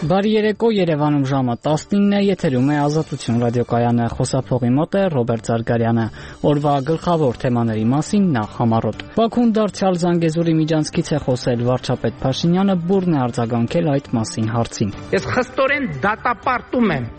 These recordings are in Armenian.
Բարի երեկո, Երևանում ժամը 19 է, եթերում է Ազատություն ռադիոկայանը, խոսափողի մոտ է Ռոբերտ Զարգարյանը։ Օրվա գլխավոր թեմաների մասին նախ համառոտ։ Բաքուն դարձյալ Զանգեզուրի միջանցքից է խոսել, վարչապետ Փաշինյանը բուրն է արձագանքել այդ մասին հարցին։ Ես խստորեն դատապարտում եմ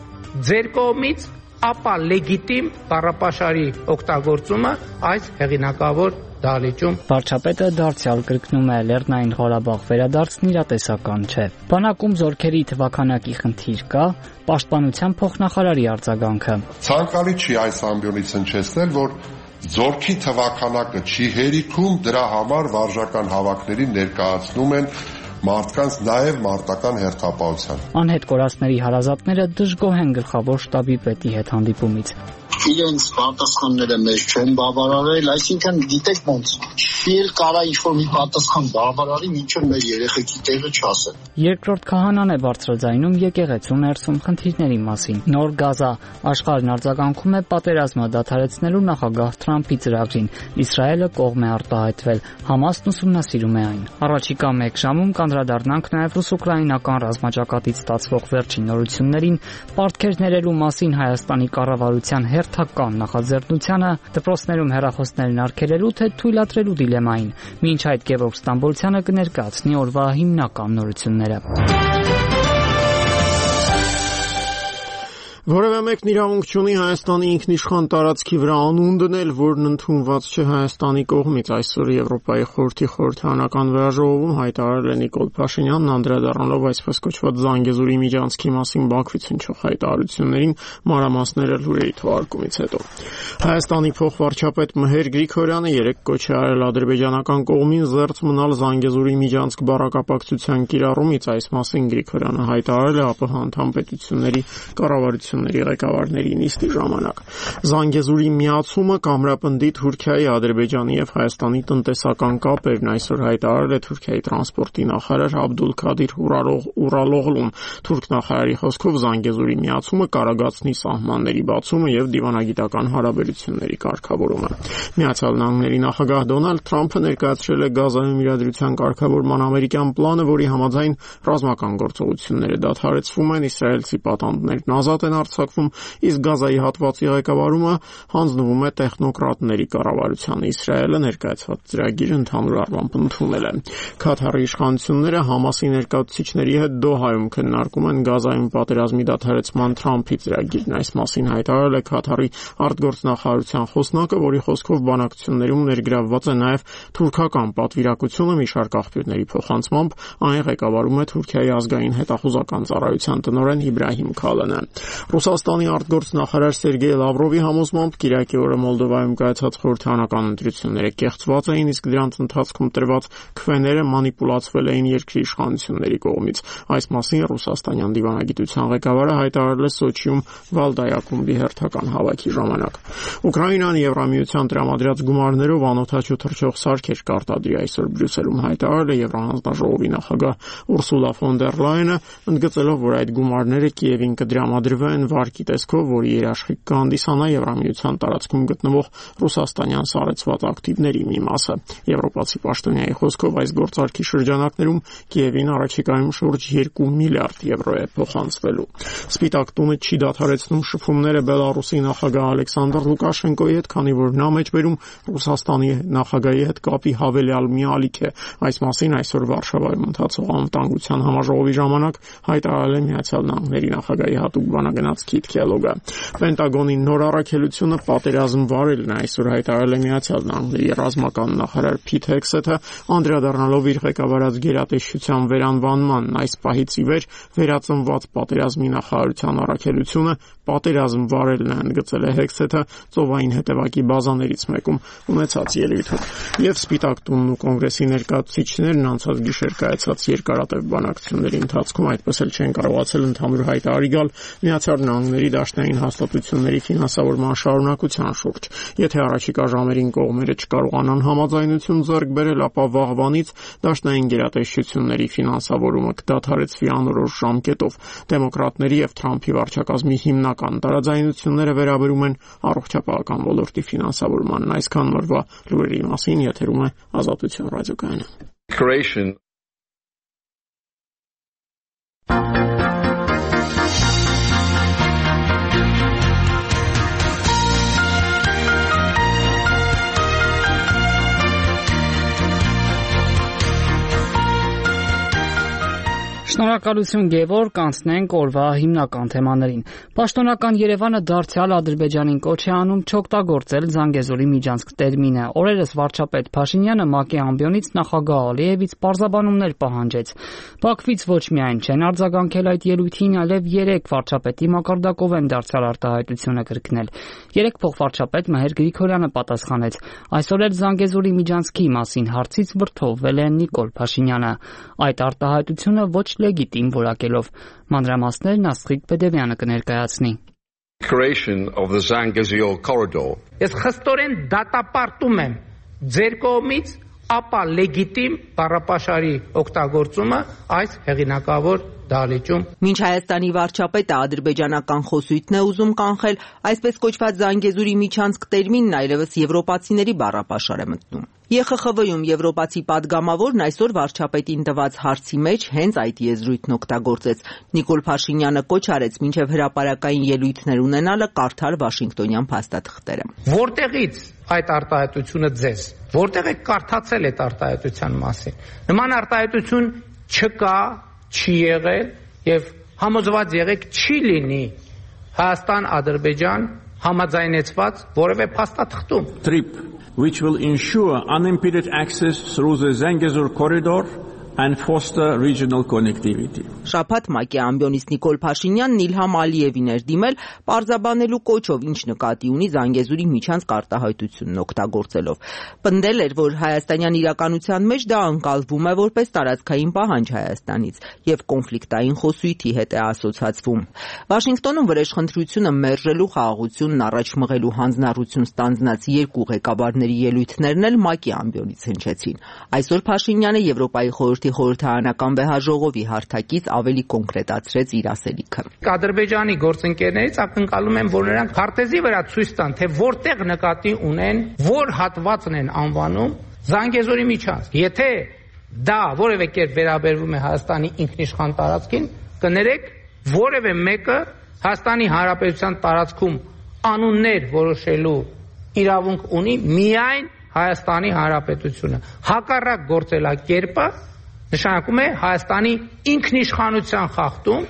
ձեր կողմից ապա լեգիտիմ բառապաշարի օգտագործումը այս հեղինակավոր դահլիճում։ Վարչապետը դարձյալ կրկնում է, Լեռնային Ղարաբաղ վերադարձն իրատեսական չէ։ Բանակում զորքերի թվաքանակի խնդիր կա, Պաշտպանության փոխնախարարի արձագանքը։ Ցանկալի չի այս ամբիոնից հնչեցնել, որ զորքի թվաքանակը չի հերիքում, դրա համար վարժական հավաքների ներկայացնում են մարդկանց նաև մարտական հերթապահության։ Անհետ կորածների հարազատները դժգոհ են գլխավոր շտաբի պետի հետ հանդիպումից։ Իրենց պատասխանները մեզ չեն բավարարել, այսինքն գիտեք ոնց էլ կարա ինչ-որ մի պատասխան բավարարի, մինչև մեր երեխեքի տեղը չասեն։ Երկրորդ քահանան է բարձրաձայնում եկեղեցու ներսում խնդիրների մասին։ Նոր Գազա աշխարհն արձագանքում է պատերազմը դադարեցնելու նախագահ Թրամփի ծրագրին։ Իսրայելը կողմ է արտահայտվել, Համասն ուսումնասիրում է այն։ Առաջիկա 1 ժամում կանդրադառնանք նաև ռուս-ուկրաինական ռազմաճակատից ստացվող վերջին նորություններին, պարտքեր ներելու մասին Հայաստանի կառավարության հերթական նախաձեռնությանը, դպրոցներում հեռախոսներն արգելելու թե թույլատրելու դիլեմային։ Մինչ այդ Գևորգ Ստամբոլցյանը կներկայացնի օրվա հիմնական նորությունները։ Որևէ մեկն իրավունք չունի Հայաստանի ինքնիշխան տարածքի վրա անուն դնել, որն ընդունված չէ Հայաստանի կողմից, այսօր Եվրոպայի խորհրդի խորհրդարանական վեաժողովում հայտարարել է Նիկոլ Փաշինյանն, անդրադառնալով այսպես կոչված Զանգեզուրի միջանցքի մասին Բաքվից հնչող հայտարարություններին, մանրամասները լուրերի թողարկումից հետո։ Հայաստանի փոխվարչապետ Մհեր Գրիգորյանը երեկ կոչ է արել ադրբեջանական կողմին զերծ մնալ Զանգեզուրի միջանցք բառակապակցության կիրառումից, այս մասին Գրիգորյանը հայտարարել է ԱՊՀ անդամ պետությունների կառավարությունների ղեկավարների նիստի ժամանակ։ Զանգեզուրի միացումը կամրապնդի Թուրքիայի, Ադրբեջանի եւ Հայաստանի տնտեսական կապերն, այսօր հայտարարել է Թուրքիայի տրանսպորտի նախարար Աբդուլքադիր Ուրալօղլուն։ Թուրք նախարարի խոսքով Զանգեզուրի միացումը կարագացնի սահմանների բացումը եւ դիվանագիտական հարաբերությունների կարգավորումը։ Միացյալ Նահանգների նախագահ Դոնալդ Թրամփը ներկայացրել է Գազայում իրադրության կարգավորման ամերիկյան պլանը, որի համաձայն ռազմական գործողությունները դադարեցվում են, իսրայելցի պատանդներն ազատ են արձակվում, իսկ Գազայի հատվածի ղեկավարումը հանձնվում է տեխնոկրատների կառավարությանը։ Իսրայելը ներկայացված ծրագիրը ընդհանուր առմամբ ընդունել է։ Քաթարի իշխանությունները Համասի ներկայացուցիչների հետ Դոհայում քննարկում են Գազայում պատերազմի դադարեցման Թրամփի ծրագիրն։ Այս մասին հայտարարել է Քաթարի արտգործնախարարության խոսնակը, որի խոսքով բանակցություններում ներգրավված է նաև թուրքական պատվիրակությունը, մի շարք աղբյուրների փոխանցմամբ այն ղեկավարում է Թուրքիայի ազգային հետախուզական ծառայության տնօրեն Իբրահիմ Քալանը։ Ռուսաստանի արտգործնախարար Սերգեյ Լավրովի համոզմամբ Կիրակի օրը Մոլդովայում կայացած խորհրդարանական ընտրությունները կեղծված էին, իսկ դրանց ընթացքում տրված քվեները մանիպուլացվել էին երկրի իշխանությունների կողմից։ Այս մասին ռուսաստանյան դիվանագիտության ղեկավարը հայտարարել է Սոչիում Վալդայ ակումբի հերթական հավաքի ժամանակ։ Ուկրաինան Եվրամիության տրամադրած գումարներով անօթաչու թռչող սարքեր կարտադրի, այսօր Բրյուսելում հայտարարել է Եվրահանձնաժողովի նախագահ Ուրսուլա ֆոն դեր Լայենը, ընդգծելով, որ այդ գումարները Կիևին կդրամադրվեն վարկի տեսքով, որի երաշխիք կհանդիսանա Եվրամիության տարածքում գտնվող ռուսաստանյան սառեցված ակտիվների մի մասը։ Եվրոպացի պաշտոնյայի խոսքով այս գործարքի շրջանակներում Կիևին առաջիկայում շուրջ 2 միլիարդ եվրո է փոխանցվելու։ Սպիտակ տունը չի դադարեցնում շփումները Բելարուսի նախագահ Ալեքսանդր Լուկաշենկոյի հետ, քանի որ նա մեջբերում Ռուսաստանի նախագահի հետ կապի հավելյալ մի ալիք է։ Այս մասին այսօր Վարշավայում ընթացող անվտանգության համաժողովի ժամանակ հայտարարել է Միացյալ Նահանգների նախագահի հատուկ բանագնաց Քիթ Քելոգը։ Պենտագոնի նոր առաքելությունը պատերազմ վարելն է, այսօր հայտարարել է Միացյալ Նահանգների ռազմական նախարար Փիթ Հեքսեթը, անդրադառնալով իր ղեկավարած գերատեսչության վերանվանմանն։ Այս պահից ի վեր վերածնված պատերազմի նախարարության առաքելությունը պատերազմ վարելն է, ընդգծել է Հեքսեթը ծովային հետևակի բազաներից մեկում ունեցած ելույթում։ Եվ Սպիտակ տունն ու կոնգրեսի ներկայացուցիչներն անցած գիշեր կայացած երկարատև բանակցությունների ընթացքում այդպես էլ չեն կարողացել ընդհանուր հայտարարի գալ Միացյալ Նահանգների դաշնային հաստատությունների ֆինանսավորման շարունակության շուրջ։ Եթե առաջիկա ժամերին կողմերը չկարողանան համաձայնություն ձեռք բերել, ապա վաղվանից դաշնային գերատեսչությունների ֆինանսավորումը կդադարեցվի անորոշ ժամկետով։ Դեմոկրատների եւ Թրամփի վարչակազմի հիմնական տարաձայնությունները վերաբերում են առողջապահական ոլորտի ֆինանսավորմանն։ Այսքան օրվա լուրերի մասին եթերում է Ազատություն ռադիոկայանը։ Շնորհակալություն Գևորգ, անցնենք օրվա հիմնական թեմաներին։ Պաշտոնական Երևանը դարձյալ Ադրբեջանին կոչ է անում չօգտագործել Զանգեզուրի միջանցք տերմինը։ Օրերս վարչապետ Փաշինյանը ՄԱԿ-ի ամբիոնից նախագահ Ալիևից պարզաբանումներ պահանջեց։ Բաքվից ոչ միայն չեն արձագանքել այդ ելույթին, այլև 3 վարչապետի մակարդակով են դարձյալ արտահայտությունը կրկնել։ 3 փոխվարչապետ Մհեր Գրիգորյանը պատասխանեց։ Այսօր էլ Զանգեզուրի միջանցքի մասին հարցից վրդովվել է Նիկոլ Փաշինյանը։ Այդ արտահայտությունը ոչ լեգիտիմ որակելով։ Մանրամասներն Աստղիկ Բեդևյանը կներկայացնի։ Ես խստորեն դատապարտում եմ ձեր կողմից ապա լեգիտիմ բառապաշարի օգտագործումը այս հեղինակավոր դահլիճում։ Մինչ Հայաստանի վարչապետը ադրբեջանական խոսույթն է ուզում կանխել, այսպես կոչված Զանգեզուրի միջանցք տերմինն այլևս եվրոպացիների բառապաշար է մտնում։ ԵԽԽՎ-ում եվրոպացի падգամավորն այսօր վարչապետին տված հարցի մեջ հենց այդ եզրույթն օգտագործեց։ Նիկոլ Փաշինյանը կոչ արեց մինչև հրապարակային ելույթներ ունենալը կարդալ Վաշինգտոնյան փաստաթղթերը։ Որտեղից այդ արտահայտությունը ձեզ, որտեղ եք կարդացել այդ արտահայտության մասին։ Նման արտահայտություն չկա, չի եղել եւ համոզված եղեք չի լինի Հայաստան-Ադրբեջան համաձայնեցված որևէ փաստաթղթում։ Which will ensure unimpeded access through the Zangezur corridor and foster regional connectivity. Շաբաթ ՄԱԿ-ի ամբիոնից Նիկոլ Փաշինյանն Իլհամ Ալիևին էր դիմել պարզաբանելու կոչով, ինչ նկատի ունի Զանգեզուրի միջանցք արտահայտությունն օգտագործելով։ Պնդել էր, որ հայաստանյան իրականության մեջ դա ընկալվում է որպես տարածքային պահանջ Հայաստանից եւ կոնֆլիկտային խոսույթի հետ է ասոցացվում։ Վաշինգտոնում վրեժխնդրությունը մերժելու խաղաղությունն առաջ մղելու հանձնառություն ստանձնած 2 ղեկավարների ելույթներն էլ ՄԱԿ-ի ամբիոնից հնչեցին։ Այսօր Փաշինյանը Եվրոպայի խորհրդի խորհրդարանական վեհաժողովի հարթակից ավելի կոնկրետացրեց իր ասելիքը։ Ադրբեջանի գործընկերներից ակնկալում եմ, որ նրանք քարտեզի վրա ցույց տան, թե որտեղ նկատի ունեն, որ հատվածն են անվանում Զանգեզուրի միջանցք։ Եթե դա որևէ կերպ վերաբերվում է Հայաստանի ինքնիշխան տարածքին, կներեք, որևէ մեկը Հայաստանի Հանրապետության տարածքում անուններ որոշելու իրավունք ունի միայն Հայաստանի Հանրապետությունը։ Հակառակ գործելակերպը նշանակում է Հայաստանի ինքնիշխանության խախտում,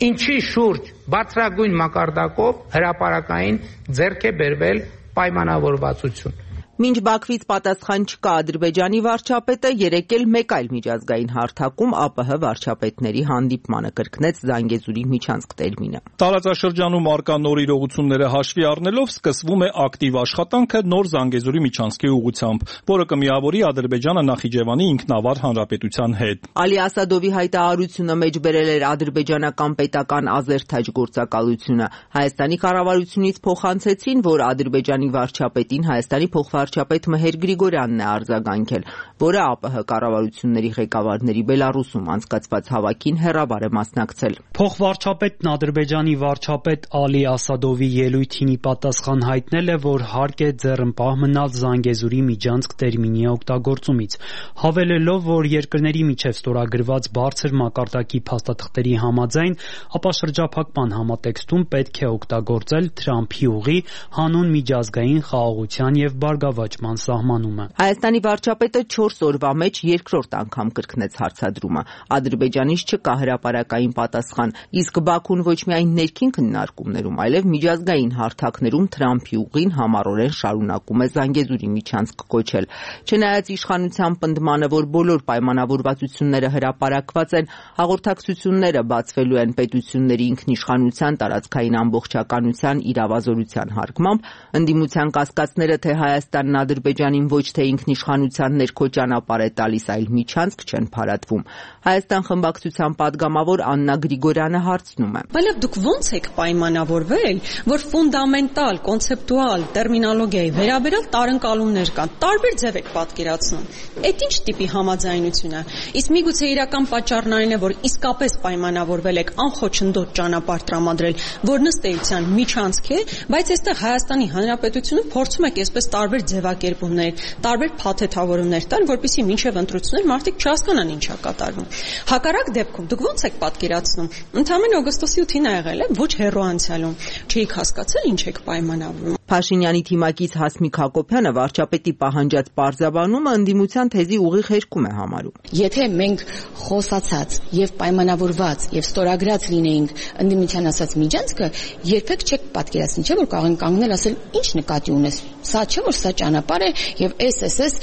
ինչի շուրջ բարձրագույն մակարդակով հրապարակային ձեռք է բերվել պայմանավորվածություն։ Մինչ Բաքվից պատասխան չկա Ադրբեջանի վարչապետը երեկ էլ մեկ այլ միջազգային հարթակում ԱՊՀ վարչապետների հանդիպմանը կրկնեց Զանգեզուրի միջանցք տերմինը։ Տարածաշրջանում արկա նոր իրողությունները հաշվի առնելով սկսվում է ակտիվ աշխատանքը նոր Զանգեզուրի միջանցքի ուղղությամբ, որը կմիավորի Ադրբեջանը Նախիջևանի ինքնավար հանրապետության հետ։ Ալի Ասադովի հայտարարությունը մեջ բերել էր ադրբեջանական պետական ազերթաջ գործակալությունը։ Հայաստանի կառավարությունից փոխանցեցին, որ Ադրբեջանի վարչապետին Հայաստանի վարչապետ Մհեր Գրիգորյանն է արձագանքել, որը ԱՊՀ կառավարությունների ղեկավարների Բելարուսում անցկացված հավաքին հեռավար է մասնակցել։ Փոխվարչապետն Ադրբեջանի վարչապետ Ալի Ասադովի ելույթին ի պատասխան հայտնել է, որ հարկ է ձեռնպահ մնալ Զանգեզուրի միջանցք տերմինի օգտագործումից, հավելելով, որ երկրների միջև ստորագրված բարձր մակարդակի փաստաթղթերի համաձայն, ապա շրջափակման համատեքստում պետք է օգտագործել Թրամփի ուղի հանուն միջազգային խաղաղության եւ բարգավաճման սահմանումը։ Հայաստանի վարչապետը 4 օրվա մեջ երկրորդ անգամ կրկնեց հարցադրումը։ Ադրբեջանից չկա հրապարակային պատասխան, իսկ Բաքուն ոչ միայն ներքին քննարկումներում, այլև միջազգային հարթակներում Թրամփի ուղին համառորեն շարունակում է Զանգեզուրի միջանցք կոչել։ Չնայած իշխանության պնդմանը, որ բոլոր պայմանավորվածությունները հրապարակված են, հաղորդակցությունները բացվելու են պետությունների ինքնիշխանության, տարածքային ամբողջականության, իրավազորության հարգմամբ, ընդդիմության կասկածները, թե Հայաստանն Ադրբեջանին ոչ թե ինքնիշխանության ներքո ճանապարհ է տալիս, այլ միջանցք չեն փարատվում։ Հայաստան խմբակցության падգամավոր Աննա Գրիգորյանը հարցնում է. Բայց դուք ո՞նց եք պայմանավորվել, որ ֆունդամենտալ, կոնցեպտուալ տերմինոլոգիայի վերաբերյալ տարընկալումներ կան, տարբեր ձև եք պատկերացնում։ Այդ ինչ տիպի համաձայնություն է։ Իսկ միգուցե իրական պատճառն այն է, որ իսկապես պայմանավորվել եք անխոչնդոտ ճանապարհ տրամադրել, որ ըստ էության միջանցք է, բայց այստեղ Հայաստանի Հանրապետությունը փորձում եք այսպես տարբեր ձևակերպումներ, տարբեր փաթեթավորումներ տալ, որպեսզի մինչև ընտրություններ մարդիկ չհասկանան ինչա կատարվում։ Հակառակ դեպքում դուք ո՞նց եք պատկերացնում։ Ընդամենը օգոստոսի 8-ին ա եղել է, ոչ հեռու անցյալում։ Չէիք հասկացել ինչ եք պայմանավորում։ Փաշինյանի թիմակից Հասմիկ Հակոբյանը վարչապետի պահանջած պարզաբանումը ընդդիմության թեզի ուղիղ հերքում է համարում։ Եթե մենք խոսացած եւ պայմանավորված եւ ստորագրած լինեինք ընդդիմության ասած միջանցքը, երբեք չեք պատկերացնի, չէ՞ որ կարող են կանգնել ասել ինչ նկատի ունես։ Սա չէ որ սա ճանապարհ է եւ այս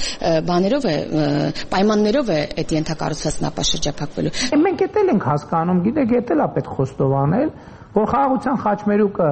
բաներով է պայմաններով է այդ ենթակառուցվածքն ապաշրջափակվելու։ Մենք էտել ենք հասկանում, գիտեք, էտել է պետք խոստովանել, որ խաղաղության խաչմերուկը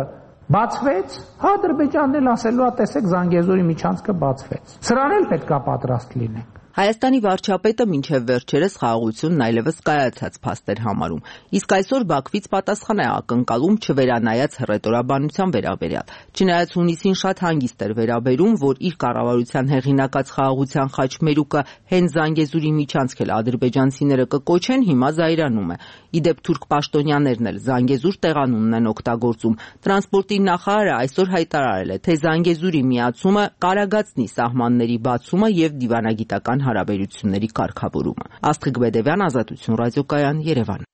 բացվեց, Ադրբեջանն էլ ասելու է, տեսեք, Զանգեզուրի միջանցքը բացվեց։ Սրան էլ պետք է պատրաստ լինենք։ Հայաստանի վարչապետը մինչև վերջերս խաղաղությունն այլևս կայացած փաստ էր համարում, իսկ այսօր Բաքվից պատասխան է ակնկալում չվերանայած հռետորաբանության վերաբերյալ։ Չնայած հունիսին շատ հանգիստ էր վերաբերում, որ իր կառավարության հեղինակած խաղաղության խաչմերուկը հենց Զանգեզուրի միջանցք էլ ադրբեջանցիները կկոչեն, հիմա զայրանում է։ Իդեպ թուրք պաշտոնյաներն էլ Զանգեզուր տեղանունն են օգտագործում։ Տրանսպորտի նախարարը այսօր հայտարարել է, թե Զանգեզուրի միացումը կարագացնի սահմանների բացումը եւ դիվանագիտական հարաբերությունների կարգավորումը։ Աստղիկ Բեդևյան, Ազատություն ռադիոկայան, Երևան։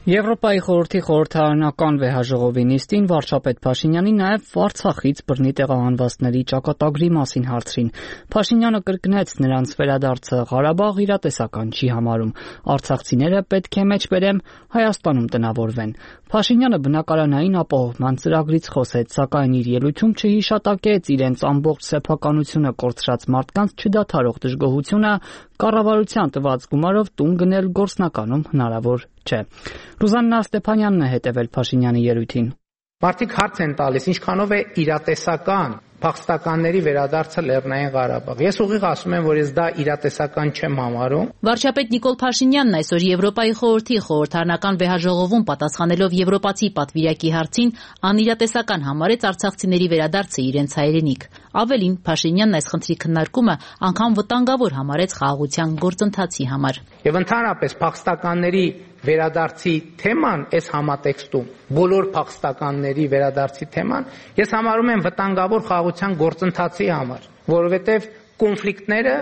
Եվրոպայի խորհրդի խորհրդարանական վեհաժողովի նիստին վարչապետ Փաշինյանին նաև Արցախից բռնի տեղահանվածների ճակատագրի մասին հարցրին։ Փաշինյանը կրկնեց, նրանց վերադարձը Ղարաբաղ իրատեսական չի համարում։ Արցախցիները պետք է մեջբերեմ Հայաստանում տնավորվեն։ Փաշինյանը բնակարանային ապահովման ծրագրից խոսեց, սակայն իր ելույթում չհիշատակեց իրենց ամբողջ սեփականությունը կորցրած մարդկանց չդադարող դժգոհությունը, կառավարության տված գումարով տուն գնել գործնականում հնարավոր չէ։ Ռուզաննա Ստեփանյանն է հետևել Փաշինյանի ելույթին։ Մարդիկ հարց են տալիս, ինչքանով է իրատեսական փախստականների վերադարձը Լեռնային Ղարաբաղ։ Ես ուղիղ ասում եմ, որ ես դա իրատեսական չեմ համարում։ Վարչապետ Նիկոլ Փաշինյանն այսօր Եվրոպայի խորհրդի խորհրդարանական վեհաժողովում պատասխանելով եվրոպացի պատվիրակի հարցին անիրատեսական համարեց արցախցիների վերադարձը իրենց հայրենիք։ Ավելին, Փաշինյանն այս խնդրի քննարկումը անգամ վտանգավոր համարեց խաղաղության գործընթացի համար։ Եվ ընդհանրապես փախստականների վերադարձի թեման այս համատեքստում, բոլոր փախստականների վերադարձի թեման, ես համարում եմ վտանգավոր խաղաղության գործընթացի համար, որովհետև կոնֆլիկտները,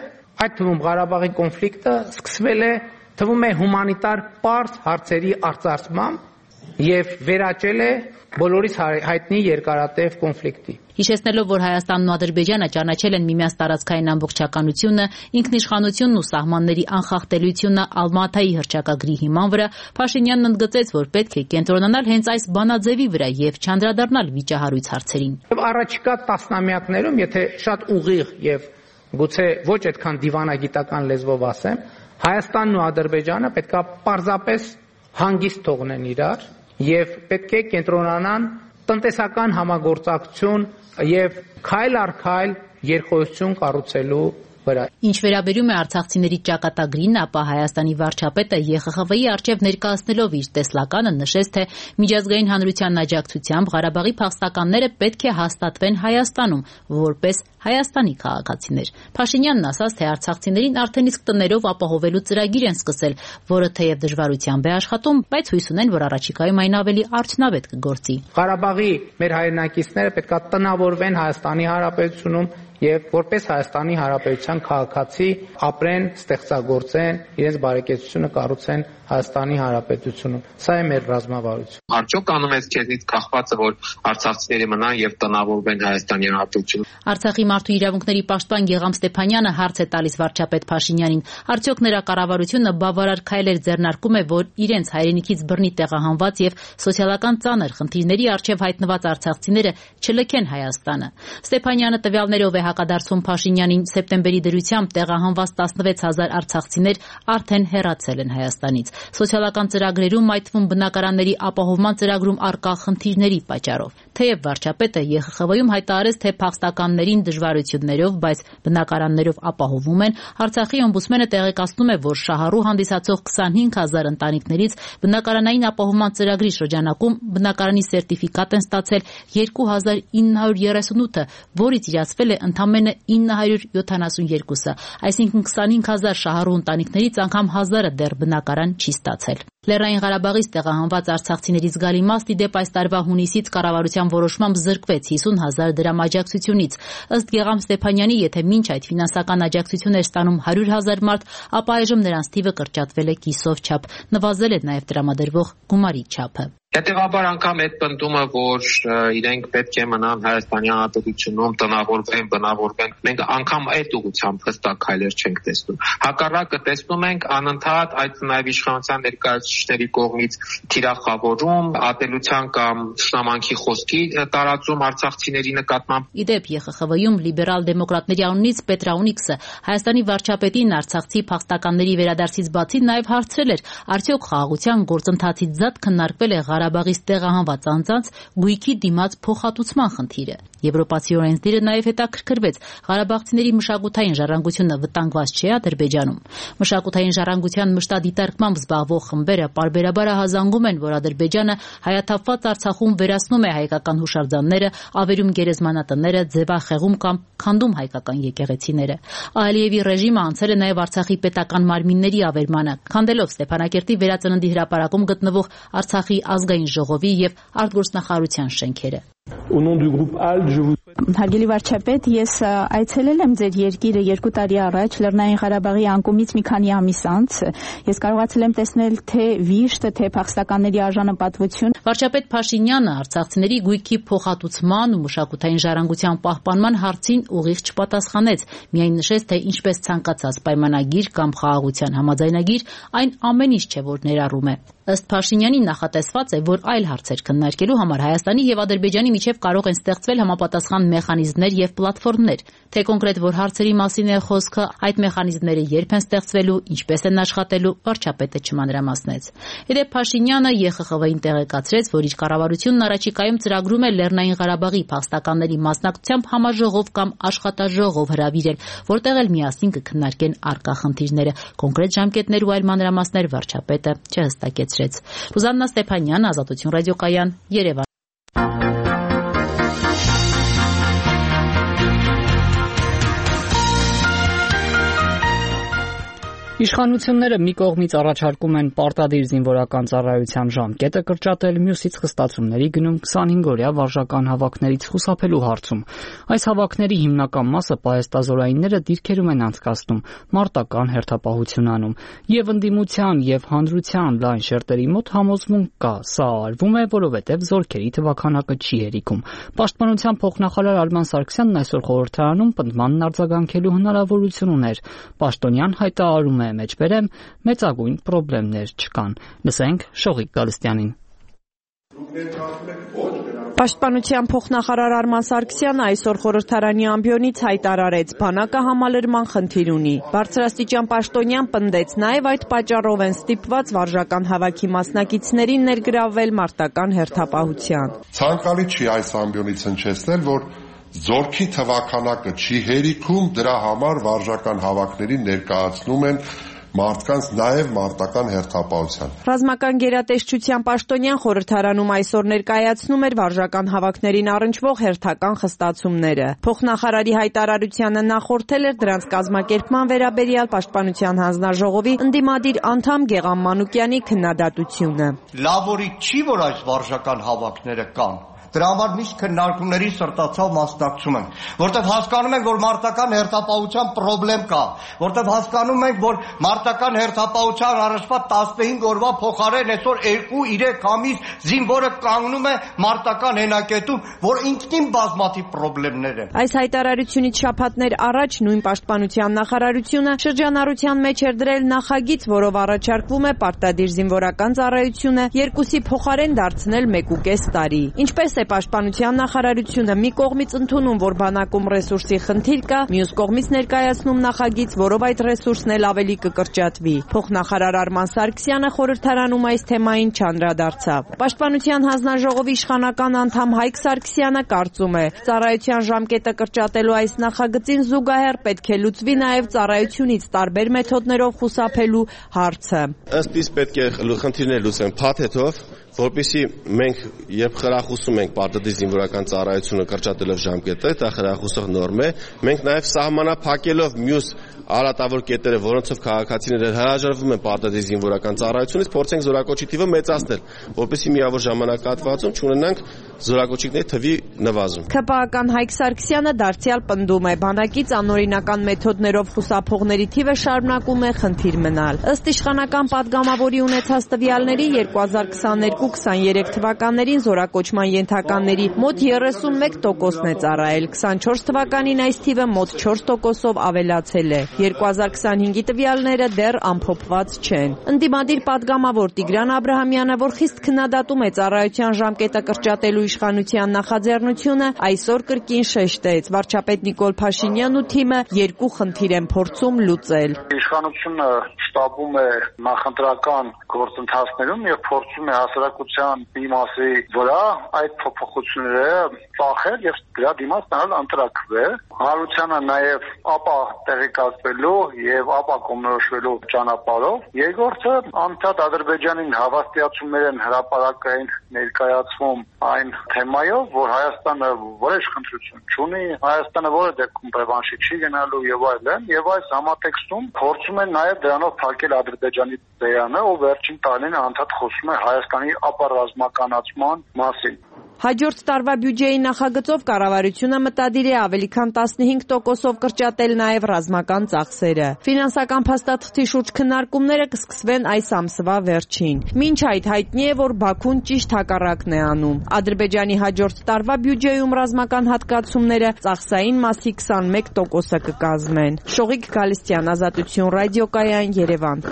այդ թվում Ղարաբաղի կոնֆլիկտը սկսվել է, թվում է հումանիտար պարզ հարցերի արծարծմամբ եւ վերաճել է բոլորիս հայտնի երկարատև կոնֆլիկտի։ Հիշեցնելով, որ Հայաստանն ու Ադրբեջանը ճանաչել են միմյանց տարածքային ամբողջականությունը, ինքնիշխանությունն ու սահմանների անխախտելիությունը Ալմատայի հռչակագրի հիման վրա, Փաշինյանն ընդգծեց, որ պետք է կենտրոնանալ հենց այս բանաձևի վրա եւ չանդրադառնալ վիճահարույց հարցերին։ Եվ առաջիկա տասնամյակներում, եթե շատ ուղիղ եւ գուցե ոչ այդքան դիվանագիտական լեզվով ասեմ, Հայաստանն ու Ադրբեջանը պետք է պարզապես հանգիստ թողնեն իրար եւ պետք է կենտրոնանան տնտեսական համագործակցություն եւ քայլ առ քայլ երկխոսություն կառուցելու վրա։ Ինչ վերաբերում է արցախցիների ճակատագրին, ապա Հայաստանի վարչապետը ԵԽԽՎ-ի առջև ներկայացնելով իր տեսլականը նշեց, թե միջազգային հանրության աջակցությամբ Ղարաբաղի փախստականները պետք է հաստատվեն Հայաստանում, որպես Հայաստանի քաղաքացիներ։ Փաշինյանն ասաց, թե արցախցիներին արդեն իսկ տներով ապահովելու ծրագիր են սկսել, որը թեև դժվարությամբ է աշխատում, բայց հույս ունեն, որ առաջիկայում այն ավելի արդյունավետ կգործի։ Ղարաբաղի մեր հայրենակիցները պետք է տնավորվեն Հայաստանի Հանրապետությունում եւ որպես Հայաստանի Հանրապետության քաղաքացի ապրեն, ստեղծագործեն, իրենց բարեկեցությունը կառուցեն Հայաստանի Հանրապետությունում։ Սա է մեր ռազմավարությունը։ Արդյոք անում ես քեզնից կախվածը, որ արցախցիները մնան եւ տնավորվեն Հայաստանի Հանրապետությունում։ Արցախի մարդու իրավունքների պաշտպան Գեգամ Ստեփանյանը հարց է տալիս վարչապետ Փաշինյանին։ Արդյոք նրա կառավարությունը բավարար քայլեր ձեռնարկում է, որ իրենց հայրենիքից բռնի տեղահանված եւ սոցիալական ծանր խնդիրների առջև հայտնված արցախցիները չլքեն Հայաստանը։ Ստեփանյանը տվյալներով է հակադարձում Փաշինյանին, սեպտեմբերի դրությամբ տեղահանված 16000 արցախցիներ արդեն հեռացել են Հայաստանից։ Սոցիալական ծրագրերում, այդ թվում բնակարանների ապահովման ծրագրում առկա խնդիրների պատճառով։ Թեև վարչապետը ԵԽԽՎ-ում հայտարարեց, թե փախստականներին դժվարություններով, բայց բնակարաններով ապահովում են, Արցախի օմբուդսմենը տեղեկացնում է, որ շահառու հանդիսացող 25,000 ընտանիքներից բնակարանային ապահովման ծրագրի շրջանակում բնակարանի սերտիֆիկատ են ստացել 2,938-ը, որից իրացվել է ընդամենը 972-ը, այսինքն 25,000 շահառու ընտանիքներից անգամ 1,000-ը դեռ բնակարան չի ստացել։ Լեռնային Ղարաբաղից տեղահանված արցախցիների զգալի մաս ի դեպ այս տարվա հունիսից կառավարության որոշմամբ զրկվեց 50,000 դրամ աջակցությունից։ Ըստ Գեգամ Ստեփանյանի, եթե մինչ այդ ֆինանսական աջակցություն էր ստանում 100,000 մարդ, ապա այժմ նրանց թիվը կրճատվել է կիսով չափ, նվազել է նաև տրամադրվող գումարի չափը։ Հետևաբար անգամ այդ պնդումը, որ իրենք պետք է մնան Հայաստանի Հանրապետությունում, տնավորվեն, բնավորվեն, մենք անգամ այդ ուղղությամբ հստակ քայլեր չենք տեսնում։ Հակառակը տեսնում ենք անընդհատ այդ նաև իշխանության ներկայացուցիչների կողմից թիրախավորում, ատելության կամ թշնամանքի խոսքի տարածում արցախցիների նկատմամբ։ Ի դեպ ԵԽԽՎ-ում լիբերալ դեմոկրատների անունից Պետրաունիքսը Հայաստանի վարչապետին արցախցի փախստականների վերադարձից բացի նաև հարցրել էր, արդյոք խաղաղության գործընթացից զատ քննարկվել է Ղարաբաղից տեղահանված անձանց գույքի դիմաց փոխհատուցման խնդիրը։ Եվրոպացի օրենսդիրը նաև հետաքրքրվեց Ղարաբաղցիների մշակութային ժառանգությունը վտանգված չէ Ադրբեջանում։ Մշակութային ժառանգության մշտադիտարկմամբ զբաղվող խմբերը պարբերաբար ահազանգում են, որ Ադրբեջանը հայաթափված Արցախում վերացնում է հայկական հուշարձանները, ավերում գերեզմանատները, ձևախեղում կամ քանդում հայկական եկեղեցիները։ Ալիևի ռեժիմը անցել է նաև Արցախի պետական մարմինների ավերմանը, քանդելով Ստեփանակերտի վերածննդի հրապարակում գտնվող Արցախի ազգային ժողովի եւ արտգործնախարարության շենքերը։ Հարգելի վարչապետ, ես այցելել եմ ձեր երկիրը 2 տարի առաջ Լեռնային Ղարաբաղի անկումից մի քանի ամիս անց։ Ես կարողացել եմ տեսնել թե վիշտ, թե փախստականների արժանապատվություն։ Վարչապետ Փաշինյանը արցախցիների գույքի փոխհատուցման ու մշակութային ժառանգության պահպանման հարցին ուղիղ չպատասխանեց, միայն նշեց, թե ինչպես ցանկացած պայմանագիր կամ խաղաղության համաձայնագիր այն ամեն ինչ չէ, որ ներառում է։ Ըստ Փաշինյանի նախատեսված է, որ այլ հարցեր քննարկելու համար Հայաստանի եւ Ադրբեջանի միջև կարող են ստեղծվել համապատասխան մեխանիզմներ եւ պլատֆորմներ, թե կոնկրետ որ հարցերի մասին է խոսքը, այդ մեխանիզմները երբ են ստեղծվելու, ինչպես են աշխատելու, վարչապետը չմանրամասնեց։ Իդեպ Փաշինյանը ԵԽԽՎ-ին տեղեկացրեց, որ իր կառավարությունն առաջիկայում ծրագրում է Լեռնային Ղարաբաղի փախստականների մասնակցությամբ համաժողով կամ աշխատաժողով հրավիրել, որտեղ էլ միասին կքննարկեն առկա խնդիրները։ Կոնկրետ ժամկետներ ու այլ մանրամասներ վարչապետը չհստակեցրեց։ Ռուզաննա Ստեփանյան, Ազատություն ռադիոկայան, Երևան։ Իշխանությունները մի կողմից առաջարկում են պարտադիր զինվորական ծառայության ժամկետը կրճատել, մյուսից խստացումների գնում 25-օրյա վարժական հավաքներից խուսափելու հարցում։ Այս հավաքների հիմնական մասը պահեստազորայինները դիրքերում են անցկացնում, մարտական հերթապահություն անում, եւ ընդդիմության եւ հանրության լայն շերտերի մոտ համոզմունք կա, սա արվում է, որովհետեւ զորքերի թվաքանակը չի հերիքում։ Պաշտպանության փոխնախարար Արման Սարգսյանն այսօր խորհրդարանում պնդմանն արձագանքելու հնարավորություն ուներ։ Պաշտոնյան հայտարարում է մեջբերեմ, մեծագույն խնդիրներ չկան։ Լսենք Շողիկ Գալստյանին։ Պաշտպանության փոխնախարար Արման Սարգսյանը այսօր խորհրդարանի ամբիոնից հայտարարեց, բանակը համալրման խնդիր ունի։ Բարձրաստիճան պաշտոնյան պնդեց, նաև այդ պատճառով են ստիպված վարժական հավաքի մասնակիցներին ներգրավվել մարտական հերթապահության։ Ցանկալի չի այս ամբիոնից հնչեցնել, որ զորքի թվաքանակը չի հերիքում, դրա համար վարժական հավաքներին ներկայացնում են մարդկանց նաև մարտական հերթապահության։ Ռազմական գերատեսչության պաշտոնյան խորհրդարանում այսօր ներկայացնում էր վարժական հավաքներին առնչվող հերթական խստացումները։ Փոխնախարարի հայտարարությանը նախորդել էր դրանց կազմակերպման վերաբերյալ պաշտպանության հանձնաժողովի ընդդիմադիր անդամ Գեգամ Մանուկյանի քննադատությունը։ Լավորի չի, որ այս վարժական հավաքները կան։ Դրա համար միշտ քննարկումների սրտացավ մասնակցում ենք, որտեղ հասկանում ենք, որ մարտական հերթապահության խնդրեմ կա, որտեղ հասկանում ենք, որ մարտական հերթապահության առաջվա 15 օրվա փոխարեն այսօր 2-3 ամիս զինվորը կանգնում է մարտական հենակետում, որ ինքնին բազմաթիվ խնդիրներ են։ Այս հայտարարությունից շաբաթներ առաջ նույն պաշտպանության նախարարությունը շրջանառության մեջ էր դրել նախագիծ, որով առաջարկվում է պարտադիր զինվորական ծառայությունը 2-ի փոխարեն դարձնել 1.5 տարի։ Ինչպես Այդպես է Պաշտպանության նախարարությունը մի կողմից ընդունում, որ բանակում ռեսուրսի խնդիր կա, մյուս կողմից ներկայացնում նախագիծ, որով այդ ռեսուրսն էլ ավելի կկրճատվի։ Փոխնախարար Արման Սարգսյանը խորհրդարանում այս թեմային չանդրադարձավ։ Պաշտպանության հանձնաժողովի իշխանական անդամ Հայկ Սարգսյանը կարծում է, ծառայության ժամկետը կրճատելու այս նախագծին զուգահեռ պետք է լուծվի նաև ծառայությունից տարբեր մեթոդներով խուսափելու հարցը։ Ըստ իս պետք է խնդիրներ լուծեն փաթեթով, որպեսզի մենք երբ խրախուսում ենք պարտադիր զինվորական ծառայությունը կրճատելով ժամկետը, դա խրախուսող նորմ է, մենք նաև սահմանափակելով մյուս արատավոր կետերը, որոնցով քաղաքացիները հրաժարվում են պարտադիր զինվորական ծառայությունից, փորձենք զորակոչի թիվը մեծացնել, որպեսզի միավոր ժամանակահատվածում չունենանք զորակոչիկների թվի նվազում։ ՔՊԱ-ական Հայկ Սարգսյանը դարձյալ պնդում է, բանակից անօրինական մեթոդներով խուսափողների թիվը շարունակում է խնդիր մնալ։ Ըստ իշխանական падգամավորի ունեցած տվյալների 2022-23 թվականներին զորակոչման ենթականների մոտ 31%-ն է ծառայել, 24 թվականին այս թիվը մոտ 4%-ով ավելացել է։ 2025-ի տվյալները դեռ ամփոփված չեն։ Ընդդիմադիր падգամավոր Տիգրան Աբրահամյանը, որ խիստ քննադատում է ծառայության ժամկետը կրճատելու իշխանության նախաձեռնությունը, այսօր կրկին շեշտեց, վարչապետ Նիկոլ Փաշինյանն ու թիմը երկու խնդիր են փորձում լուծել։ Իշխանությունը շտաբում է նախընտրական գործընթացներում եւ փորձում է հասարակության մի մասի վրա այդ փոփոխությունները ծախել եւ դրա դիմաց տալ ընտրակվել։ Հանրությանը նաեւ ապա տեղեկացվելու եւ ապա կողմնորոշվելու ճանապարհով։ Երկրորդը անդադ Ադրբեջանին հավաստիացումներ են հրապարակային ներկայացվում այն թեմայով, որ Հայաստանը որոշ խնդրություն չունի, Հայաստանը որը դեպքում ռևանշի չի գնալու եւ այլն, եւ այս համատեքստում փորձում են նաեւ դրանով փակել Ադրբեջանի ձայանը, ով վերջին տարիներին անդադ խոսում է Հայաստանի ապառազմականացման մասին։ Հաջորդ տարվա բյուջեի նախագծով կառավարությունը մտադիր է ավելի քան 15%-ով կրճատել նաև ռազմական ծախսերը։ Ֆինանսական փաստաթղթի շուրջ քննարկումները կսկսվեն այս ամսվա վերջին։ Մինչ այդ հայտնի է, որ Բաքուն ճիշտ հակառակն է անում։ Ադրբեջանի հաջորդ տարվա բյուջեում ռազմական հատկացումները ծախսային մասի 21%-ը կկազմեն։ Շողիկ Գալստյան, Ազատություն ռադիոկայան, Երևան։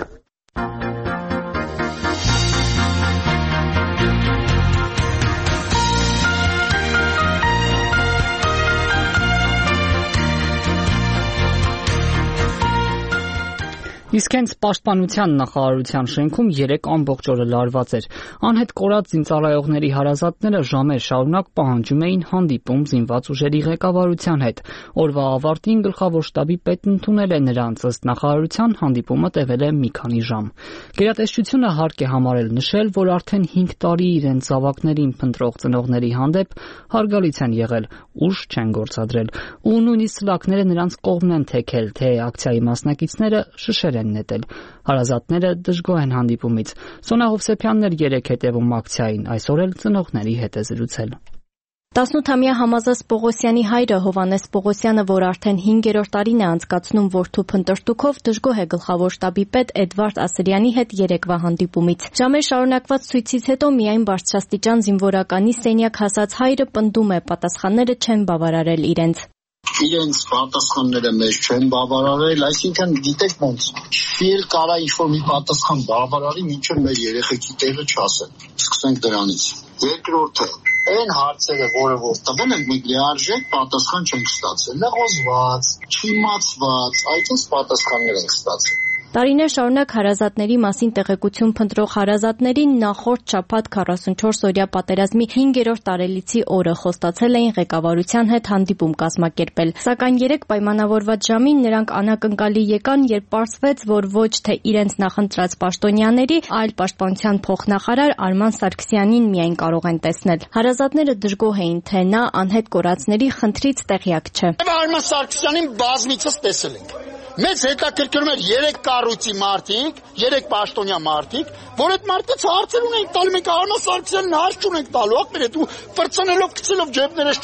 Իսկ հենց Պաշտպանության նախարարության շենքում 3 ամբողջ օրը լարված էր։ Անհետ կորած զինծառայողների հարազատները ժամեր շարունակ պահանջում էին հանդիպում զինված ուժերի ղեկավարության հետ։ Օրվա ավարտին գլխավոր շտաբի պետն ընդունել է նրանց, ըստ նախարարության հանդիպումը տևել է մի քանի ժամ։ Գերատեսչությունը հարկ է համարել նշել, որ արդեն 5 տարի իրենց զավակներին փնտրող ծնողների հանդեպ հարգալից են եղել, ուժ չեն գործադրել, ու նույնիսկ սլաքները նրանց կողմն են թեքել, թե ակցիայի մասնակիցները շշեր են նետել։ Հարազատները դժգոհ են հանդիպումից։ Սոնա Հովսեփյանն էր երեկ հետևում ակցիային, այսօր էլ ծնողների հետ է զրուցել։ 18-ամյա Համազես Պողոսյանի հայրը Հովանես Պողոսյանը, որ արդեն 5-րդ տարին է անցկացնում որդու փնտրտուքով, դժգոհ է գլխավոր շտաբի պետ Էդվարդ Ասրյանի հետ երեկվա հանդիպումից։ Ժամեր շարունակված ցույցից հետո միայն բարձրաստիճան զինվորականի սենյակ հասած հայրը պնդում է, պատասխանները չեն բավարարել իրենց։ Իրենց պատասխանները մեզ չեն բավարարել, այսինքն գիտեք ոնց, ֆիլ կարա ինչ-որ մի պատասխան բավարարի, մինչև մեր երեխեքի տեղը չասեն։ Սկսենք դրանից։ Երկրորդը, այն հարցերը, որը որ տվել են, մենք լիարժեք պատասխան չենք ստացել, լղոզված, չիմացված, այդպես պատասխաններ ենք ստացել։ Տարիներ շարունակ հարազատների մասին տեղեկություն փնտրող հարազատներին նախորդ շաբաթ 44-օրյա պատերազմի 5-րդ տարելիցի օրը խոստացել էին ղեկավարության հետ հանդիպում կազմակերպել։ Սակայն 3 պայմանավորված ժամին նրանք անակնկալի եկան, երբ պարզվեց, որ ոչ թե իրենց նախընտրած պաշտոնյաների, այլ պաշտպանության փոխնախարար Արման Սարգսյանին միայն կարող են տեսնել։ Հարազատները դժգոհ էին, թե նա անհետ կորածների խնդրից տեղյակ չէ։ Արման Սարգսյանին բազմիցս տեսել ենք։ Մեզ հետաքրքրում էր 3 կառույցի մարդիկ, 3 պաշտոնյա մարդիկ, որ այդ մարդից հարցեր ունենք տալու, մենք Արման Սարգսյանին հարց չունենք տալու, ախպերետ ու ֆրցնելով գցելով ջեբներս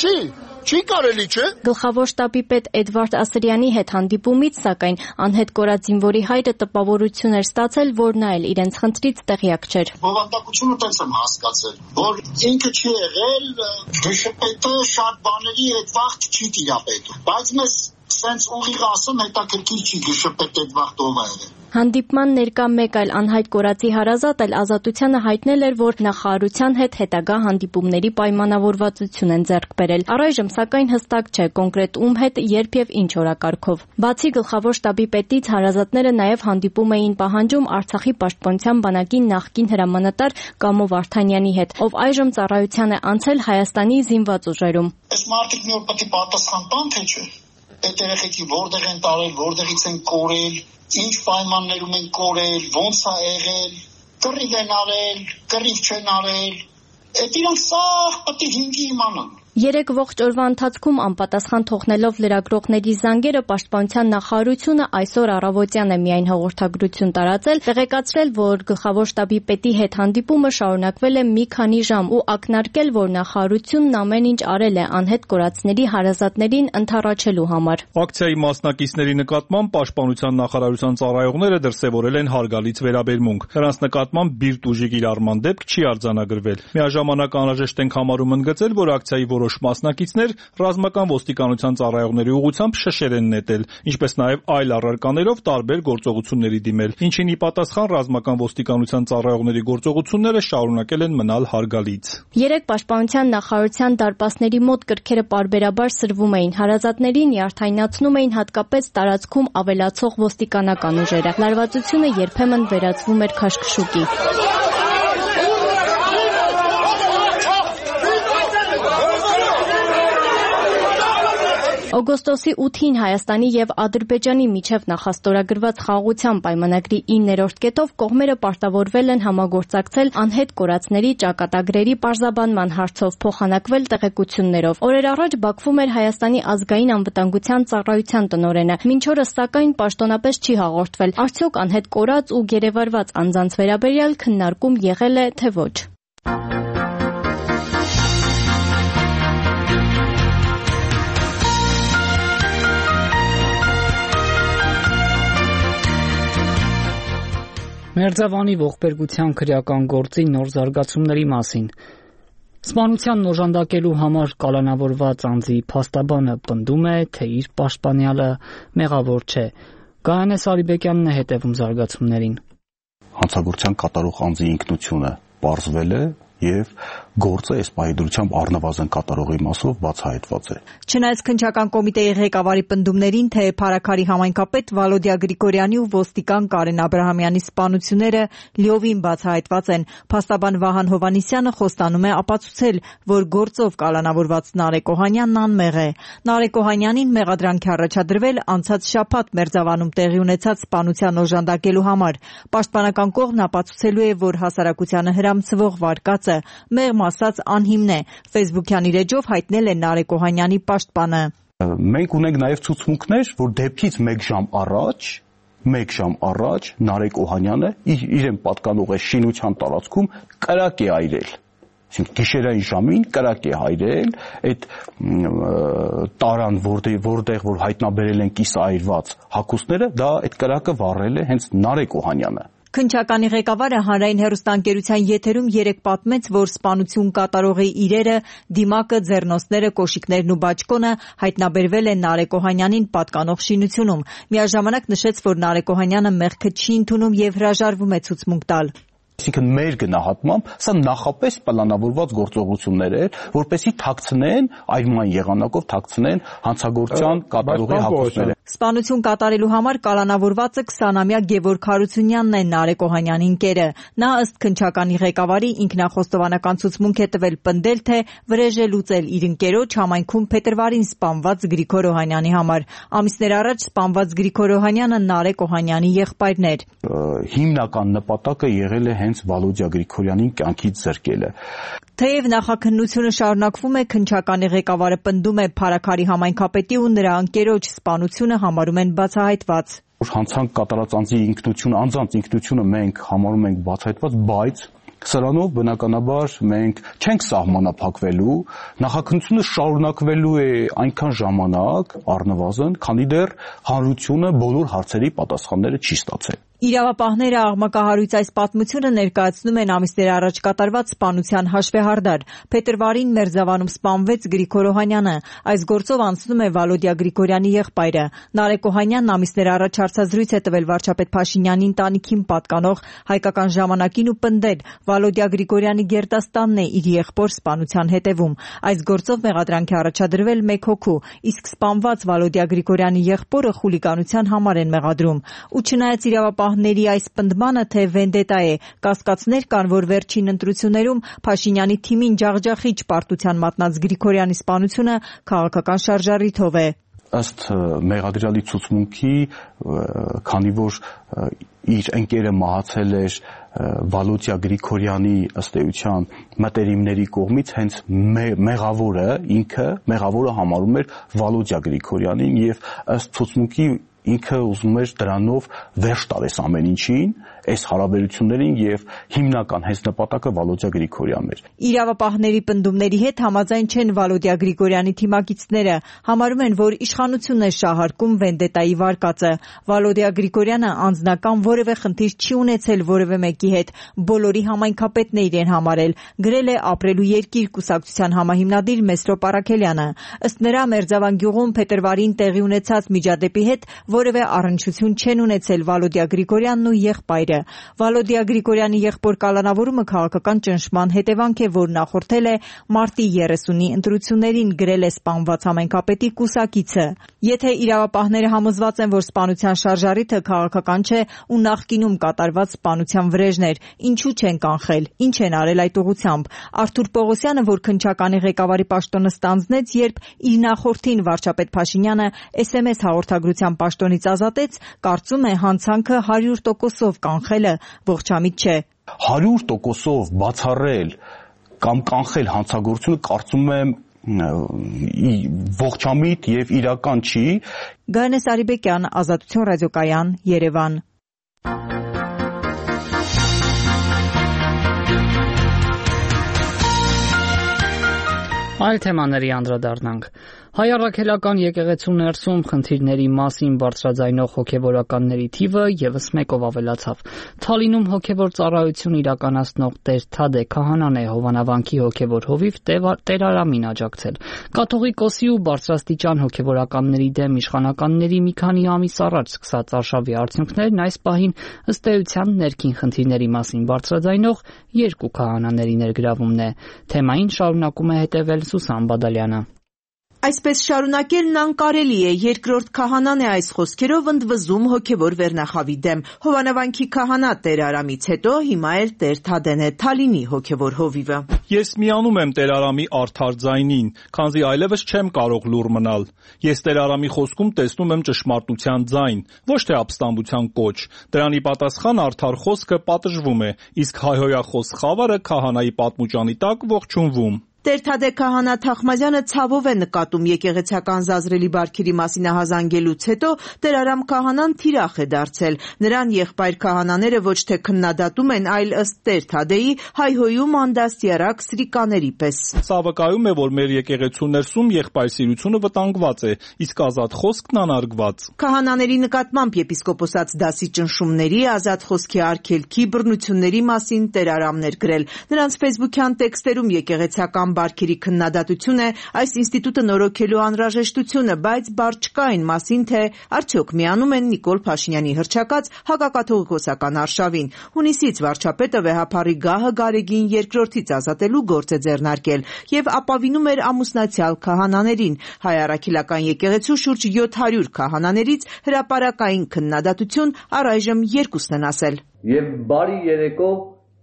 չի կարելի, չէ։ Գլխավոր շտաբի պետ Էդվարդ Ասրյանի հետ հանդիպումից, սակայն անհետ կորած զինվորի հայրը տպավորություն էր ստացել, որ նա էլ իրենց խնդրից տեղյակ չէր։ Բովանդակությունը տենց եմ հասկացել, որ ինքը չի եղել, դժպետը շատ բաների հետ վաղ չի տիրապետում, բայց մեզ սենց ուղիղ ասեմ հետաքրքիր չի գշպետ այդ վաղ ով է եղել։ Հանդիպման ներկա մեկ այլ անհայտ կորածի հարազատ էլ Ազատությանը հայտնել էր, որ նախարարության հետ հետագա հանդիպումների պայմանավորվածություն են ձեռք բերել։ Առայժմ սակայն հստակ չէ կոնկրետ ում հետ, երբ եւ ինչ օրակարգով։ Բացի գլխավոր շտաբի պետից հարազատները նաեւ հանդիպում էին պահանջում Արցախի պաշտպանության բանակի նախկին հրամանատար Կամո Վարդանյանի հետ, ով այժմ ծառայության է անցել Հայաստանի զինված ուժերում։ Այս մարդիկ մի օր պետք է պատասխան տան, թե չէ։ Այդ երեխեքի որտեղ են տարել, որտեղից են կորել, ինչ պայմաններում են կորել, ոնց է եղել, կռիվ են արել, կռիվ չեն արել, այդ իրանք սաղ պետք է հինգի իմանան։ 3 ողջ օրվա ընթացքում անպատասխան թողնելով լրագրողների զանգերը Պաշտպանության նախարարությունը այսօր առավոտյան է միայն հաղորդագրություն տարածել, տեղեկացրել, որ գլխավոր շտաբի պետի հետ հանդիպումը շարունակվել է մի քանի ժամ ու ակնարկել, որ նախարարությունն ամեն ինչ արել է անհետ կորածների հարազատներին ընդառաջելու համար։ Ակցիայի մասնակիցների նկատմամբ Պաշտպանության նախարարության ծառայողները դրսևորել են հարգալից վերաբերմունք։ Նրանց նկատմամբ բիրտ ուժի կիրառման դեպք չի արձանագրվել։ Միաժամանակ անհրաժեշտ ենք համարում ընդգծել, որ ակցիայի որոշ մասնակիցներ ռազմական ոստիկանության ծառայողների ուղղությամբ շշեր են նետել, ինչպես նաև այլ առարկաներով տարբեր գործողությունների դիմել, ինչին ի պատասխան ռազմական ոստիկանության ծառայողների գործողությունները շարունակել են մնալ հարգալից։ 3 Պաշտպանության նախարարության դարպասների մոտ կրքերը պարբերաբար սրվում էին, հարազատներին նյարդայնացնում էին հատկապես տարածքում ավելացող ոստիկանական ուժերը։ Լարվածությունը երբեմն վերածվում էր քաշքշուկի։ Օգոստոսի 8-ին Հայաստանի եւ Ադրբեջանի միջև նախաստորագրված խաղաղության պայմանագրի 9-րդ կետով կողմերը պարտավորվել են համագործակցել անհետ կորածների ճակատագրերի պարզաբանման հարցով, փոխանակվել տեղեկություններով։ Օրեր առաջ Բաքվում էր Հայաստանի ազգային անվտանգության ծառայության տնօրենը։ Մինչ օրս սակայն պաշտոնապես չի հաղորդվել, արդյոք անհետ կորած ու գերեվարված անձանց վերաբերյալ քննարկում եղել է, թե ոչ։ Մերձավանի ողբերգության քրեական գործի նոր զարգացումների մասին։ Սպանությանն օժանդակելու համար կալանավորված անձի փաստաբանը պնդում է, թե իր պաշտպանյալը մեղավոր չէ։ Գայանե Սարիբեկյանն է հետևում զարգացումներին։ Հանցագործության կատարող անձի ինքնությունը պարզվել է եւ գործը այս պահի առնվազն կատարողի մասով բացահայտված է։ Չնայած քննչական կոմիտեի ղեկավարի պնդումներին, թե Փարաքարի համայնքապետ Վալոդիա Գրիգորյանի ու ոստիկան Կարեն Աբրահամյանի սպանությունները լիովին բացահայտված են, փաստաբան Վահան Հովհաննիսյանը խոստանում է ապացուցել, որ գործով կալանավորված Նարեկ Օհանյանն անմեղ է։ Նարեկ Օհանյանին մեղադրանք է առաջադրվել անցած շաբաթ Մերձավանում տեղի ունեցած սպանության օժանդակելու համար։ Պաշտպանական կողմն ապացուցելու է, որ հասարակությանը հրամցվող վարկածը մեղմ ասած անհիմն է, Facebook-յան իր էջով հայտնել է Նարեկ Օհանյանի պաշտպանը։ Մենք ունենք նաև ցուցմունքներ, որ դեպքից 1 ժամ առաջ Նարեկ Օհանյանը իրեն պատկանող է շինության տարածքում կրակ է այրել։ Այսինքն գիշերային ժամին կրակ է հայրել, այդ տարան, որտեղ որ հայտնաբերել են կիսաայրված հագուստները, դա այդ կրակը վառել է հենց Նարեկ Օհանյանը։ Քննչականի ղեկավարը հանրային հեռուստաընկերության եթերում երեկ պատմեց, որ սպանություն կատարողի իրերը, դիմակը, ձեռնոցները, կոշիկներն ու բաճկոնը հայտնաբերվել են Նարեկ Օհանյանին պատկանող շինությունում։ Միաժամանակ նշեց, որ Նարեկ Օհանյանը մեղքը չի ընդունում եւ հրաժարվում է ցուցմունք տալ։ Այսինքն մեր գնահատմամբ սա նախապես պլանավորված գործողություններ էր, որպեսզի թաքցնեն այրման եղանակով թաքցնեն հանցագործության կատարողի հագուստները։ Սպանություն կատարելու համար կալանավորվածը 20-ամյա Գևորգ Հարությունյանն է, Նարեկ Օհանյանի ընկերը։ Նա ըստ քննչականի ղեկավարի ինքնախոստովանական ցուցմունք է տվել պնդել, թե վրեժ է լուծել իր ընկերոջ համայնքում փետրվարին սպանված Գրիգոր Օհանյանի համար։ Ամիսներ առաջ սպանված Գրիգոր Օհանյանը Նարեկ Օհանյանի եղբայրն էր։ Հիմնական նպատակը եղել է հենց Վալոդիա Գրիգորյանին կյանքից զրկելը։ Թեև նախաքննությունը շարունակվում է, քննչականի ղեկավարը պնդում է Փարաքարի համայնքապետի ու նրա ընկերոջ սպանությունը համարում են բացահայտված։ Հանցանք կատարած անձի ինքնությունը, անձանց ինքնությունը մենք համարում ենք բացահայտված, բայց սրանով բնականաբար մենք չենք սահմանափակվելու, նախաքննությունը շարունակվելու է այնքան ժամանակ առնվազն, քանի դեռ հանրությունը բոլոր հարցերի պատասխանները չի ստացել։ Իրավապահները աղմկահարույց այս պատմությունը ներկայացնում են ամիսներ առաջ կատարված սպանության հաշվեհարդար։ Փետրվարին Մերձավանում սպանվեց Գրիգոր Օհանյանը։ Այս գործով անցնում է Վալոդիա Գրիգորյանի եղբայրը։ Նարեկ Օհանյանն ամիսներ առաջ հարցազրույց է տվել վարչապետ Փաշինյանի ընտանիքին պատկանող Հայկական ժամանակին ու պնդել Վալոդիա Գրիգորյանի գերդաստանն է իր եղբոր սպանության հետևում։ Այս գործով մեղադրանք է առաջադրվել 1 հոգու, իսկ սպանված Վալոդիա Գրիգորյանի եղբորը խուլիգանության համար են մեղադրում։ Ու չնայած իրավապահների այս պնդմանը, թե վենդետա է, կասկածներ կան, որ վերջին ընտրություններում Փաշինյանի թիմին ջախջախիչ պարտության մատնած Գրիգորյանի սպանությունը քաղաքական շարժառիթով է։ Ըստ մեղադրյալի ցուցմունքի, քանի որ իր ընկերը մահացել էր Վալոդիա Գրիգորյանի ըստ էության մտերիմների կողմից, հենց մեղավորը համարում էր Վալոդիա Գրիգորյանին եւ ըստ ցուցմունքի ինքը ուզում էր դրանով վերջ տալես ամեն ինչին, այս հարաբերություններին եւ հիմնական հենց նպատակը Վալոդիա Գրիգորյանն էր։ Իրավապահների պնդումների հետ համաձայն չեն Վալոդիա Գրիգորյանի թիմակիցները, համարում են, որ իշխանությունն է շահարկում վենդետայի վարկածը։ Վալոդիա Գրիգորյանը անձնական որևէ խնդիր չի ունեցել որևէ մեկի հետ, բոլորի համայնքապետն է իրեն համարել, գրել է Ապրելու երկիր կուսակցության համահիմնադիր Մեսրոպ Առաքելյանը։ Ըստ նրա, Մերձավան գյուղում փետրվարին տեղի ունեցած միջադեպի հետ որևէ առնչություն չեն ունեցել Վալոդիա Գրիգորյանն ու եղբայրը։ Վալոդիա Գրիգորյանի եղբոր կալանավորումը քաղաքական ճնշման հետևանք է, որ նախորդել է մարտի 30-ի ընտրություններին, գրել է սպանված համայնքապետի կուսակիցը։ Եթե իրավապահները համոզված են, որ սպանության շարժառիթը քաղաքական չէ ու նախկինում կատարված սպանության վրեժներ, ինչու չեն կանխել, ինչ են արել այդ ուղղությամբ։ Արթուր Պողոսյանը, որ քննչականի ղեկավարի պաշտոնը ստանձնեց, երբ իր նախորդին վարչապետ Փաշինյանը SMS հաղորդագրության պաշտոնից ազատեց, կարծում է հանցանքը 100%-ով կանխելը ողջամիտ չէ։ 100%-ով բացառել կամ կանխել հանցագործությունը, կարծում եմ, ողջամիտ եւ իրական չի։ Գայանե Սարիբեկյան, Ազատություն ռադիոկայան, Երևան։ Այլ թեմաների անդրադառնանք։ Հայ առաքելական եկեղեցու ներսում խնդիրների մասին բարձրաձայնող հոգևորականների թիվը եւս մեկով ավելացավ։ Թալինում հոգևոր ծառայություն իրականացնող Տեր Թադե Քահանան է Հովանավանքի հոգևոր հովիվ Տեր Արամին աջակցել։ Կաթողիկոսի ու բարձրաստիճան հոգևորականների դեմ իշխանականների մի քանի ամիս առաջ սկսած արշավի արդյունքներն այս պահին ըստ էության ներքին խնդիրների մասին բարձրաձայնող երկու քահանաների ներգրավումն է։ Թեմային շարունակում է հետևել Սուսան Բադալյանը։ Այսպես շարունակելն անկարելի է, երկրորդ քահանան է այս խոսքերով ընդվզում հոգևոր վերնախավի դեմ։ Հովանավանքի քահանա Տեր Արամից հետո հիմա էլ Տեր Թադեն է Թալինի հոգևոր հովիվը։ Ես միանում եմ Տեր Արամի արդար ձայնին, քանզի այլևս չեմ կարող լուռ մնալ։ Ես Տեր Արամի խոսքում տեսնում եմ ճշմարտության ձայն, ոչ թե ապստամբության կոչ։ Դրանի պատասխան արդար խոսքը պատժվում է, իսկ հայհոյախոս խավարը քահանայի պատմուճանի տակ ողջունվում։ Տեր Թադե Քահանա Թախմազյանը ցավով է նկատում եկեղեցական զազրելի բարքերի մասին ահազանգելուց հետո Տեր Արամ քահանան թիրախ է դարձել։ Նրան եղբայր քահանաները ոչ թե քննադատում են, այլ ըստ Տեր Թադեի հայհոյում անդաստիարակ սրիկաների պես։ Սա վկայում է, որ մեր եկեղեցու ներսում եղբայրսիրությունը վտանգված է, իսկ ազատ խոսքն անարգված։ Քահանաների նկատմամբ եպիսկոպոսաց դասի ճնշումների, ազատ խոսքի արգելքի, բռնությունների մասին Տեր Արամն էր գրել։ Նրանց ֆեյսբուքյան տեքստերում եկեղեցական բարքերի քննադատություն է այս ինստիտուտը նորոգելու անհրաժեշտությունը, բայց բառ չկա այն մասին, թե արդյոք միանում են Նիկոլ Փաշինյանի հռչակած հակակաթողիկոսական արշավին։ Հունիսից վարչապետը վեհափառի գահը Գարեգին երկրորդից ազատելու գործ է ձեռնարկել եւ ապավինում էր ամուսնացյալ քահանաներին։ Հայ առաքելական եկեղեցու շուրջ 700 քահանաներից հրապարակային քննադատություն առայժմ երկուսն են ասել։ Եվ բարի երեկո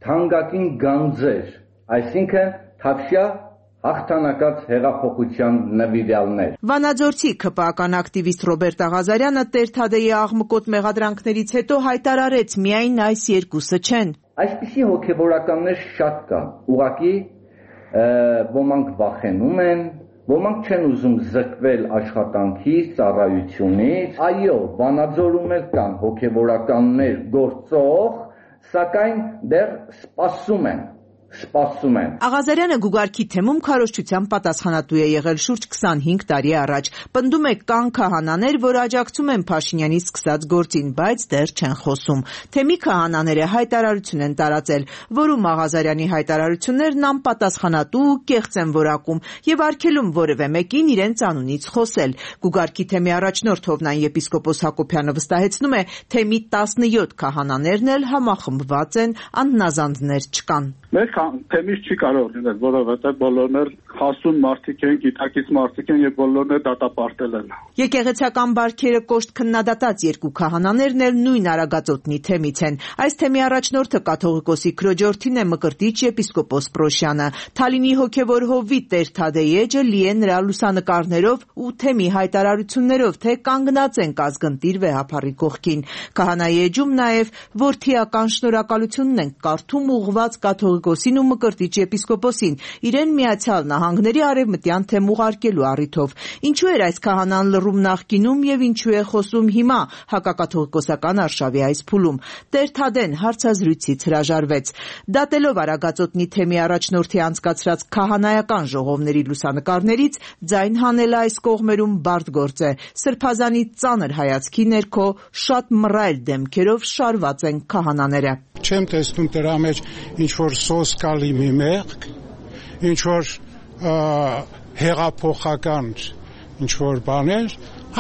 թանկագին գանձեր, այսինքն Թավշյա հաղթանակած հեղափոխության նվիրյալներ։ Վանաձորցի ԿՊԱ-ական ակտիվիստ Ռոբերտ Աղազարյանը Տեր Թադեի աղմկոտ մեղադրանքներից հետո հայտարարեց, միայն այս երկուսը չեն։ Այսպիսի հոգևորականներ շատ կան, ուղղակի ոմանք վախենում են, ոմանք չեն ուզում զրկվել աշխատանքից, ծառայությունից։ Այո, Վանաձորում էլ կան հոգևորականներ գործող, սակայն դեռ սպասում են սպասում են։ Աղազարյանը Գուգարքի թեմում քարոզչության պատասխանատու է եղել շուրջ 25 տարի առաջ։ Պնդում է կան քահանաներ, որ աջակցում են Փաշինյանի սկսած գործին, բայց դեռ չեն խոսում։ Թեմի քահանաները հայտարարություն են տարածել, որում Աղազարյանի հայտարարություններն անպատասխանատու ու կեղծ են որակում եւ արգելում որևէ մեկին իրենց անունից խոսել։ Գուգարքի թեմի առաջնորդ Հովնան եպիսկոպոս Հակոբյանը վստահեցնում է, թեմի 17 քահանաներն էլ համախմբված են, անհնազանդներ չկան։ Մեր թեմից չի կարող լինել, որովհետև բոլորն էլ հասուն մարդիկ են, գիտակից մարդիկ են եւ բոլորն էլ դատապարտել են։ Եկեղեցական բարքերը կոշտ քննադատած երկու քահանաներն էլ նույն Արագածոտնի թեմից են։ Այս թեմի առաջնորդը կաթողիկոսի քրոջորդին է Մկրտիչ եպիսկոպոս Պրոշյանը։ Թալինի հոգևոր հովիվ Տեր Թադեյ էջը լի է նրա լուսանկարներով ու թեմի հայտարարություններով, թե կանգնած են կազգընտիր վեհափառի կողքին։ Քահանայի էջում նաև որդիական շնորհակալությունն են կարդում ուղղված կաթողիկոսին ու Մկրտիչ եպիսկոպոսին իրեն Միացյալ Նահանգների արևմտյան թեմ ուղարկելու առիթով։ Ինչու էր այս քահանան լռում նախկինում եւ ինչու է խոսում հիմա հակակաթողիկոսական արշավի այս փուլում։ Տեր Թադեն հարցազրույցից հրաժարվեց։ Դատելով Արագածոտնի թեմի առաջնորդի անցկացրած քահանայական ժողովների լուսանկարներից ձայն հանելը այս կողմերում բարդ գործ է։ Սրբազանի ծանր հայացքի ներքո շատ մռայլ դեմքերով շարված են քահանաները։ Չեմ տեսնում դրա մեջ ինչ որ սոսկալի մի մեղք, ինչ որ հեղափոխական ինչ որ բաներ,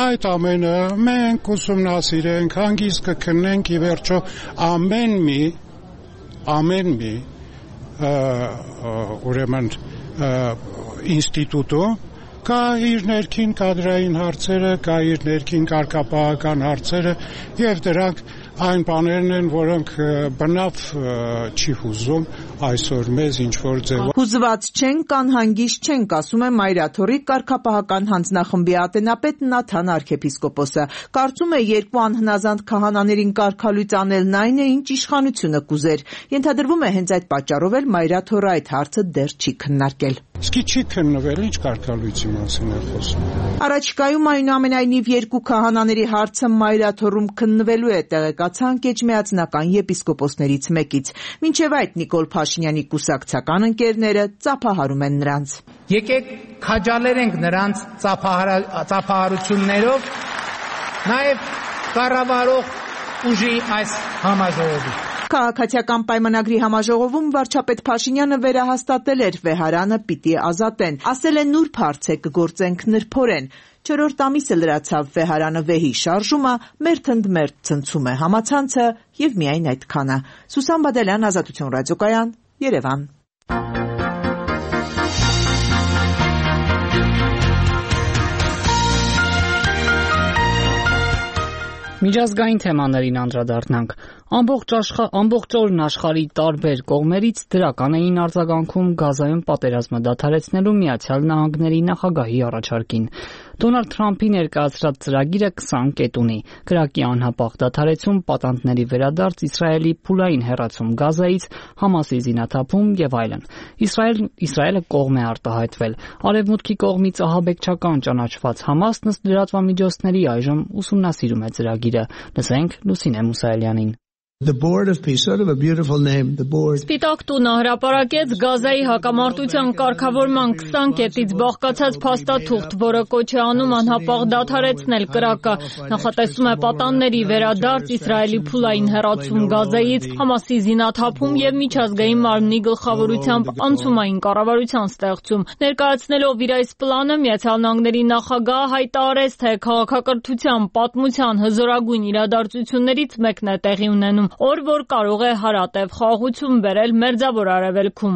այդ ամենը մենք ուսումնասիրենք, հանգիստ կքննենք, ի վերջո ամեն մի ուրեմն ինստիտուտում կա իր ներքին կադրային հարցերը, կա իր ներքին կարգապահական հարցերը եւ դրանք այն բաներն են, որոնք բնավ չի հուզում այսօր մեզ ինչ-որ ձևով։ Հուզված չենք, անհանգիստ չենք, ասում է Մայրաթորի կարգապահական հանձնախմբի ատենապետ Նաթան arczepiskopos-ը։ Կարծում է երկու անհնազանդ քահանաներին կարգալույծ անելն այն է, ինչ իշխանությունը կուզեր։ Ենթադրվում է հենց այդ պատճառով էլ Մայրաթորը այդ հարցը դեռ չի քննարկել։ Իսկ չի քննվել, ինչ կարգալույցի մասին է խոսում։ Առաջիկայում այնուամենայնիվ երկու քահանաների հարցը Մայրաթորում քննվելու է, տեղեկացանք էջմիածնական եպիսկոպոսներից մեկից։ Մինչև այդ Նիկոլ Փաշինյանի կուսակցական ընկերները ծափահարում են նրանց։ Եկեք քաջալերենք նրանց ծափահարություններով նաև կառավարող ուժի այս համաժողովի։ Քաղաքացիական պայմանագրի համաժողովում վարչապետ Փաշինյանը վերահաստատել էր վեհարանը պիտի ազատեն։ Ասել է նուրբ հարց է կգործենք նրբորեն։ 4-րդ ամիսը լրացավ վեհարանը վեհի շարժումը, մերթ ընդ մերթ ցնցում է համացանցը եւ միայն այդքանը։ Սուսան Բադալյան, Ազատություն ռադիոկայան, Երևան։ Միջազգային թեմաներին անդրադառնանք։ Ամբողջ օրն աշխարհի տարբեր կողմերից դրական էին արձագանքում Գազայում պատերազմը դադարեցնելու Միացյալ Նահանգների նախագահի առաջարկին։ Դոնալդ Թրամփի ներկայացրած ծրագիրը 20 կետ ունի՝ կրակի անհապաղ դադարեցում, պատանդների վերադարձ, Իսրայելի փուլային հեռացում Գազայից, Համասի զինաթափում եւ այլն։ Իսրայելը կողմ է արտահայտվել։ Արևմուտքի կողմից ահաբեկչական ճանաչված Համասն ըստ լրատվամիջոցների այժմ ուսումնասիրում է ծրագիրը։ Լսենք Լուսինե Մուսայելյանին։ The Board of Peace, sort of a beautiful name, the Board. Սպիտակ տունը հրապարակեց Գազայի հակամարտության կարգավորման 20 կետից բաղկացած փաստաթուղթ, որը կոչ է անում անհապաղ դադարեցնել կրակը։ Նախատեսում է պատանների վերադարձ, Իսրայելի փուլային հեռացում Գազայից, Համասի զինաթափում եւ միջազգային մարմնի գլխավորությամբ անցումային կառավարության ստեղծում։ Ներկայացնելով իր այս պլանը, Միացյալ Նահանգների նախագահը հայտարարեց, թե քաղաքակրթության պատմության հզորագույն իրադարձություններից մեկն է տեղի ունենում, օր որ կարող է հարատև խաղաղություն բերել Մերձավոր Արևելքում։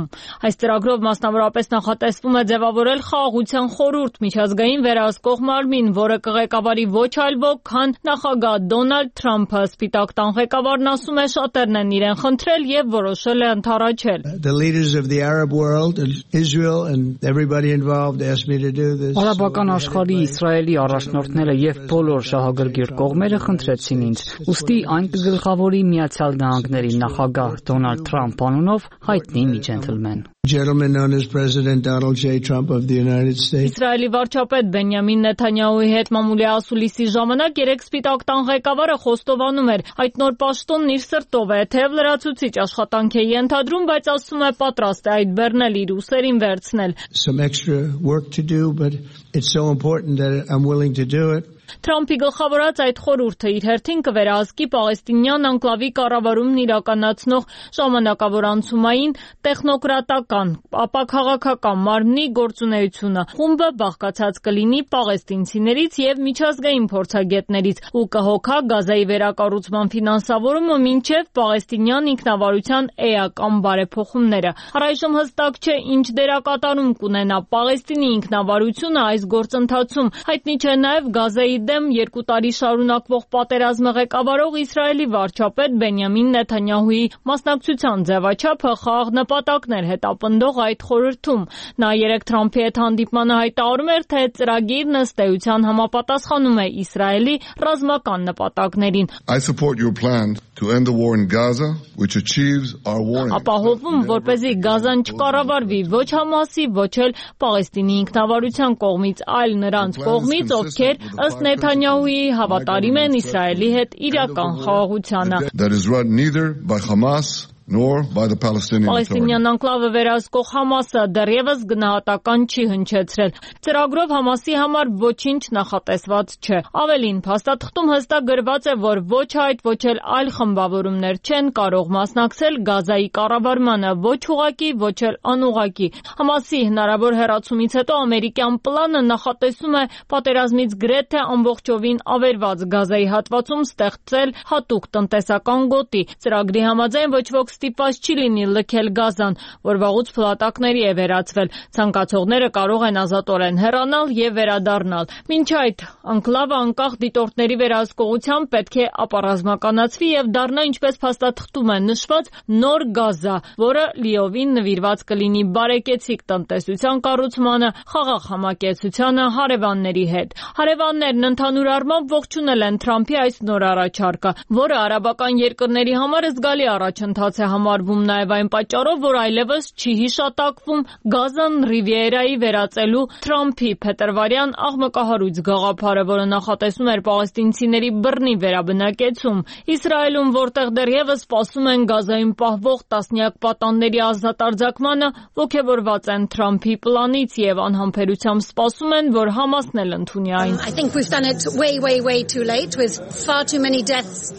Այս ծրագրով մասնավորապես նախատեսվում է ձևավորել խաղաղության խորհուրդ միջազգային վերահսկող մարմին, որը կղեկավարի ոչ այլ ոք, քան նախագահ Դոնալդ Թրամփը։ Սպիտակ տան ղեկավարն ասում է, շատերն են իրեն խնդրել եւ որոշել է ընդառաջել։ The leaders of the Arab world and Israel and everybody involved asked me to do this. Արաբական աշխարհի Իսրայելի առաջնորդները եւ բոլոր շահագրգիռ կողմերը խնդրեցին ինձ։ Ուստի այն կգլխավորի Միացյալ Նահանգների նախագահ Դոնալդ Թրամփ անունով հայտնի միջենտլմեն։ Gentleman known as President Donald J. Trump of the United States. Իսրայելի վարչապետ Բենյամին Նեթանյահուի հետ մամուլի ասուլիսի ժամանակ երեք սպիտակ տան ղեկավարը խոստովանում էր, այդ նոր պաշտոնն իր սրտով է, թեև լրացուցիչ աշխատանք է ենթադրում, բայց ասում է պատրաստ է այդ բեռնել իր ուսերին վերցնել։ Some extra work to do, but it's so important that I'm willing to do it. Թրամփի գլխավորած այդ խորհուրդը իր հերթին կվերահսկի պաղեստինյան անկլավի կառավարումն իրականացնող ժամանակավոր անցումային տեխնոկրատական, ապա քաղաքական մարմնի գործունեությունը։ Խումբը բաղկացած կլինի պաղեստինցիներից եւ միջազգային փորձագետներից ու կհոգա Գազայի վերակառուցման ֆինանսավորումը մինչեւ պաղեստինյան ինքնավարության էական բարեփոխումները։ Առայժմ հստակ չէ ինչ դերակատարում կունենա Պաղեստինի ինքնավարությունը այս գործընթացում։ Հայտնի չէ նաեւ Գազայի դեմ 2 տարի շարունակվող պատերազմը ղեկավարող Իսրայելի վարչապետ Բենյամին Նեթանյահուի մասնակցության ձևաչափը խաղաղ նպատակներ հետապնդող այդ խորհրդում։ Նա երեք Թրամփի հետ հանդիպմանը հայտարարում էր, թե ծրագիրն ըստ էության համապատասխանում է Իսրայելի ռազմական նպատակներին։ I support your plan to end the war in Gaza, which achieves our war. Ապահովում, որպեսզի Գազան չկառավարվի ոչ Համասի, ոչ էլ Պաղեստինի ինքնավարության կողմից, այլ նրանց կողմից, ովքեր ըստ Նեթանյահուի հավատարիմ են Իսրայելի հետ իրական խաղաղությանը։ That is run neither by Hamas nor by the Palestinian Authority. Պաղեստինյան անկլավը վերահսկող Համասը դեռևս գնահատական չի հնչեցրել։ Ծրագրով Համասի համար ոչինչ նախատեսված չէ։ Ավելին, փաստաթղթում հստակ գրված է, որ ոչ այդ, ոչ էլ այլ խմբավորումներ չեն կարող մասնակցել Գազայի կառավարմանը, ոչ ուղղակի, ոչ էլ անուղղակի։ Համասի հնարավոր հեռացումից հետո ամերիկյան պլանը նախատեսում է պատերազմից գրեթե ամբողջովին ավերված Գազայի հատվածում ստեղծել հատուկ տնտեսական գոտի։ Ծրագրի համաձայն ոչ ոք ստիպված չի լինի լքել Գազան, որ վաղուց փլատակների է վերածվել։ Ցանկացողները կարող են ազատորեն հեռանալ եւ վերադառնալ։ Մինչ այդ, անկլավը անկախ դիտորդների վերահսկողությամբ պետք է ապառազմականացվի եւ դառնա, ինչպես փաստաթղթում է նշված, նոր Գազա, որը լիովին նվիրված կլինի բարեկեցիկ տնտեսության կառուցմանը, խաղաղ համակեցությանը հարևանների հետ։ Հարևաններն ընդհանուր առմամբ ողջունել են Թրամփի այս նոր առաջարկը, որը արաբական երկրների համար զգալի առաջընթաց է համարվում նաև այն պատճառով, որ այլևս չի հիշատակվում Գազան Ռիվիերայի վերածելու Թրամփի փետրվարյան աղմկահարույց գաղափարը, որը նախատեսում էր պաղեստինցիների բռնի վերաբնակեցում։ Իսրայելում, որտեղ դեռևս սպասում են Գազայում պահվող տասնյակ պատանների ազատարձակմանը, ոգևորված են Թրամփի պլանից եւ անհամբերությամբ սպասում են, որ Համասն էլ ընդունի այն։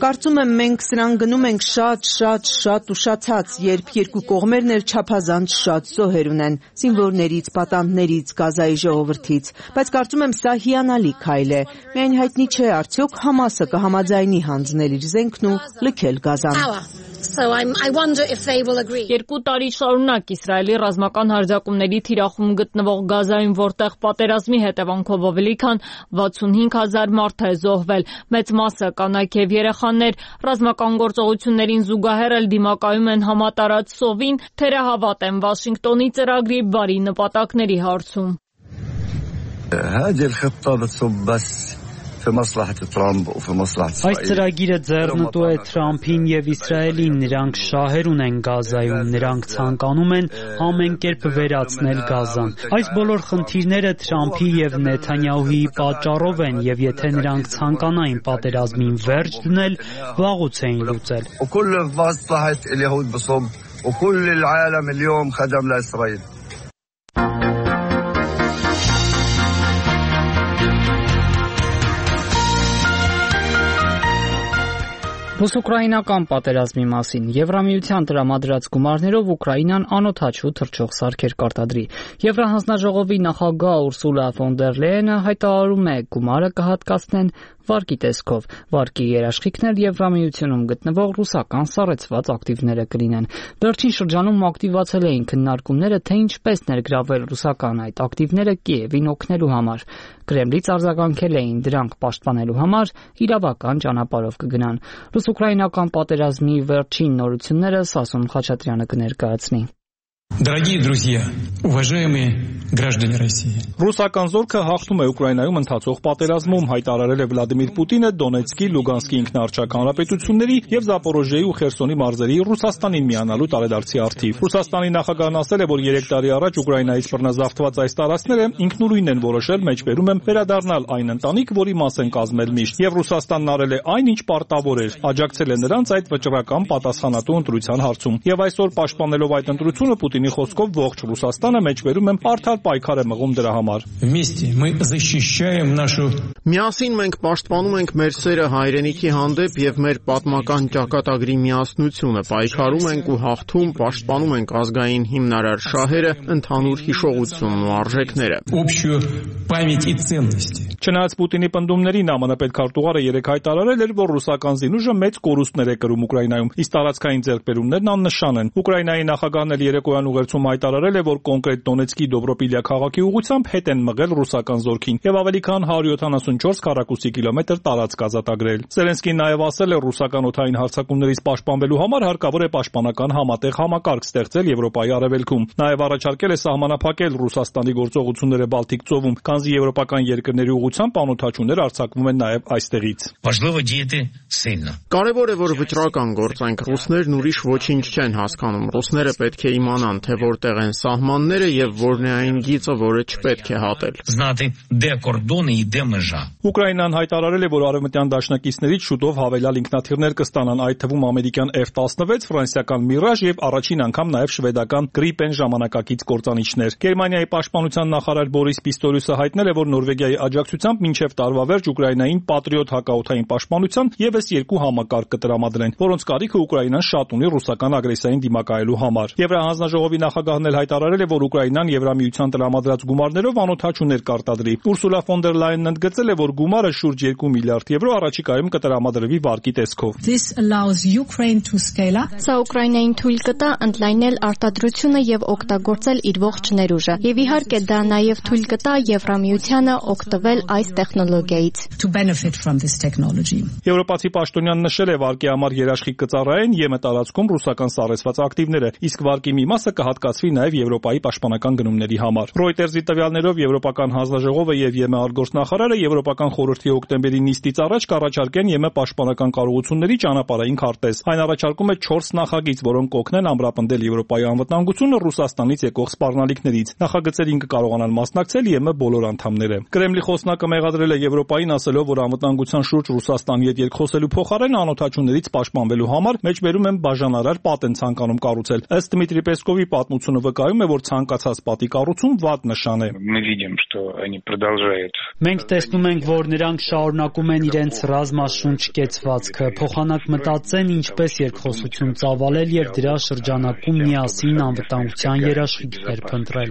Կարծում եմ մենք սրան գնում ենք շատ ուշացած, երբ երկու կողմերն էլ չափազանց շատ զոհեր ունեն, զինվորներից, պատանդներից, Գազայի ժողովրդից, բայց կարծում եմ սա հիանալի քայլ է։ Միայն հայտնի չէ արդյոք Համասը կհամաձայնի հանձնել իր զենքն ու լքել Գազան։ Երկու տարի շարունակ Իսրայելի ռազմական հարձակումների թիրախում գտնվող Գազայում, որտեղ պատերազմի հետևանքով ավելի քան 65,000 մարդ է զոհվել, մեծ մասը կանայք եւ երեխաներ, ռազմական գործողություններին զուգահեռ էլ դիմակայում են համատարած սովին, թերահավատ են Վաշինգտոնի ծրագրի բարի նպատակների հարցում։ Այս ծրագիրը ձեռնտու է Թրամփին եւ Իսրայելին, նրանք շահեր ունեն Գազայում, նրանք ցանկանում են ամեն կերպ վերացնել Գազան։ Այս բոլոր խնդիրները Թրամփի եւ Նեթանյահուի պատճառով են եւ եթե նրանք ցանկանային պատերազմին վերջ դնել, վաղուց էին լուծել։ Ռուս-ուկրաինական պատերազմի մասին Եվրամիության տրամադրած գումարներով Ուկրաինան անօդաչու թռչող սարքեր կարտադրի։ Եվրահանձնաժողովի նախագահ Ուրսուլա ֆոն դեր Լեյենը հայտարարում է, գումարը կհատկացնեն վարկի տեսքով։ Վարկի երաշխիքներ Եվրամիությունում գտնվող ռուսական սառեցված ակտիվները կլինեն։ Վերջին շրջանում ակտիվացել էին քննարկումները, թե ինչպես ներգրավել ռուսական այդ ակտիվները Կիևին օգնելու համար։ Կրեմլից արձագանքել էին դրանք պաշտպանելու համար իրավական ճանապարհով կգնան։ Ռուս-ուկրաինական պատերազմի վերջին նորությունները Սասուն Խաչատրյանը կներկայացնի։ Дорогие друзья, уважаемые граждане России. Ռուսական զորքը հաղթում է Ուկրաինայում ընթացող պատերազմում, հայտարարել է Վլադիմիր Պուտինը Դոնեցկի, Լուգանսկի ինքնաարչակ հանրապետությունների եւ Զապորոժիեի ու Խերսոնի մարզերի Ռուսաստանին միանալու տարեդարձի առթիվ։ Ռուսաստանի նախագահն ասել է, որ 3 տարի առաջ Ուկրաինայից բռնազավթված այս տարածքները ինքնուրույն են որոշել մեջբերում են վերադառնալ այն ընտանիք, որի մաս են կազմել միշտ, եւ Ռուսաստանն արել է այն, ինչ պարտավոր էր, աջակցել է նրանց այդ վճռական պատասխանատու ընտրության հարցում։ Եվ այսօր պաշտպանելով այդ ընտրությունը Պուտինի խոսքով ողջ Ռուսաստանը մեջբերում է արդար պայքար է մղում դրա համար։ Միասին մենք պաշտպանում ենք մեր սերը հայրենիքի հանդեպ եւ մեր պատմական ճակատագրի միասնությունը, պայքարում ենք ու հաղթում, պաշտպանում ենք ազգային հիմնարար շահերը, ընդհանուր հիշողությունն ու արժեքները։ Չնայած Պուտինի պնդումներին ԱՄՆ պետքարտուղարը 3 հայտարարել էր, որ ռուսական զինուժը մեծ կորուստներ է կրում Ուկրաինայում, իսկ տարածքային ձեռքբերումներն աննշան են։ Ուկրաինայի նախագահն էլ երեկոյան ուղերձում հայտարարել է, որ կոնկրետ Դոնեցկի Դոբրոպիլիա քաղաքի ուղղությամբ հետ են մղել ռուսական զորքին եւ ավելի քան 174 քառակուսի կիլոմետր տարածք ազատագրել։ Զելենսկին նաեւ ասել է, ռուսական օդային հարձակումներից պաշտպանվելու համար հարկավոր է պաշտպանական համատեղ համակարգ ստեղծել Եվրոպայի արևելքում։ Նաեւ առաջարկել է սահմանափակել Ռուսաստանի գործողությունները Բալտիկ ծովում, քանզի եվրոպական երկրների ուղղությամբ անօդաչուներ արձակվում են նաեւ այստեղից։ Կարևոր է, որ վճռական գործենք։ Ռուսներն ուրիշ ոչինչ չեն հասկանում։ Ռուսները պետք է իմանան, թե որտեղ են սահմանները եւ որն է այն գիծը, որը չպետք է հատել։ Ուկրաինան հայտարարել է, որ արևմտյան դաշնակիցներից շուտով հավելյալ ինքնաթիռներ կստանան, այդ թվում ամերիկյան F-16, ֆրանսիական Mirage եւ առաջին անգամ նաեւ շվեդական Gripen ժամանակակից կործանիչներ։ Գերմանիայի պաշտպանության նախարար Բորիս Պիստորյուսը հայտնել է, որ Նորվեգիայի աջակցությամբ մինչեւ տարվա վերջ Ուկրաինային Patriot հակաօդային պաշտպանության եւս 2 համակարգ կտրամադրեն, որոնց կարիքը Ուկրաինան շատ ունի ռուսական ագրեսիային դիմակայելու համար։ Եվրահանձնաժողովի նախագահն էլ հայտարարել է, որ Ուկրաինան Եվրամիության տրամադրած գումարներով անօդաչուներ կարտադրի։ Ուրսուլա ֆոն դեր Լայենն ընդգծել է, որ գումարը շուրջ 2 միլիարդ եվրո առաջիկայում կտրամադրվի վարկի տեսքով։ Սա Ուկրաինային թույլ կտա ընդլայնել արտադրությունը եւ օգտագործել իր ողջ ներուժը։ Եվ իհարկե դա նաեւ թույլ կտա Եվրամիությանը օգտվել այս տեխնոլոգիայից։ Եվրոպացի պաշտոնյան նշել է, վարկի համար երաշխիք կծառայեն ԵՄ տարածքում ռուսական սառեցված ակտիվները, իսկ վարկի մի մասը կհատկացվի նաեւ Եվրոպայի պաշտպանական գնումների համար։ Reuters-ի տվյալներով Եվրոպական հանձնաժողովը եւ ԵՄ արտգործնախարարը Եվրոպական խորհրդի հոկտեմբերի նիստից առաջ կառաջարկեն ԵՄ պաշտպանական կարողությունների ճանապարհային քարտեզ։ Այն առաջարկում է 4 նախագիծ, որոնք կօգնեն ամրապնդել Եվրոպայի անվտանգությունը Ռուսաստանից եկող սպառնալիքներից։ Նախագծերին կկարողանան մասնակցել ԵՄ բոլոր անդամները։ Կրեմլի խոսնակը մեղադրել է Եվրոպային, ասելով, որ անվտանգության շուրջ Ռուսաստանի հետ երկխոսելու փոխարեն անօդաչուներից պաշտպանվելու համար մեջբերում են բաժանարար պատ են ցանկանում կառուցել։ Ըստ Դմիտրի Պեսկովի պատմությունը վկայում է, որ ցանկացած պատի կառուցում վատ նշան է։ Մենք տեսնում ենք, որ նրանք շարունակում են իրենց ռազմաշունչ կեցվածքը, փոխանակ մտածեն ինչպես երկխոսություն ծավալել եւ դրա շրջանակում միասին անվտանգության երաշխիքներ փնտրել։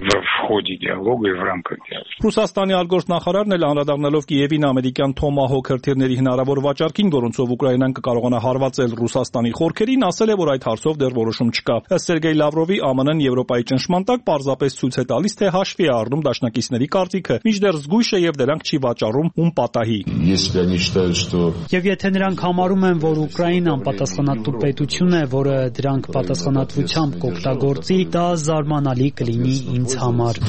Ռուսաստանի արտգործնախարարն էլ անդրադառնալով Կիևին ամերիկյան Թոմահոք հրթիռների հնարավոր վաճառքին, որոնցով Ուկրաինան կկարողանա հարվածել Ռուսաստանի խորքերին, ասել է, որ այդ հարցով դեռ որոշում չկա։ Ըստ Սերգեյ Լավրովի, ԱՄՆ-ն Եվրոպայի ճնշման տակ պարզապես ցույց է տալիս, թե հաշվի է առնում դաշնակիցների կարծիքը, մինչդեռ զգույշ է եւ դրանք չի վաճառում ում պատահի։ Եվ եթե նրանք համարում են, որ Ուկրաինան պատասխանատու պետություն է, որը դրանք պատասխանատվությամբ կօգտագործի, դա զարմանալի կլինի ինձ համար։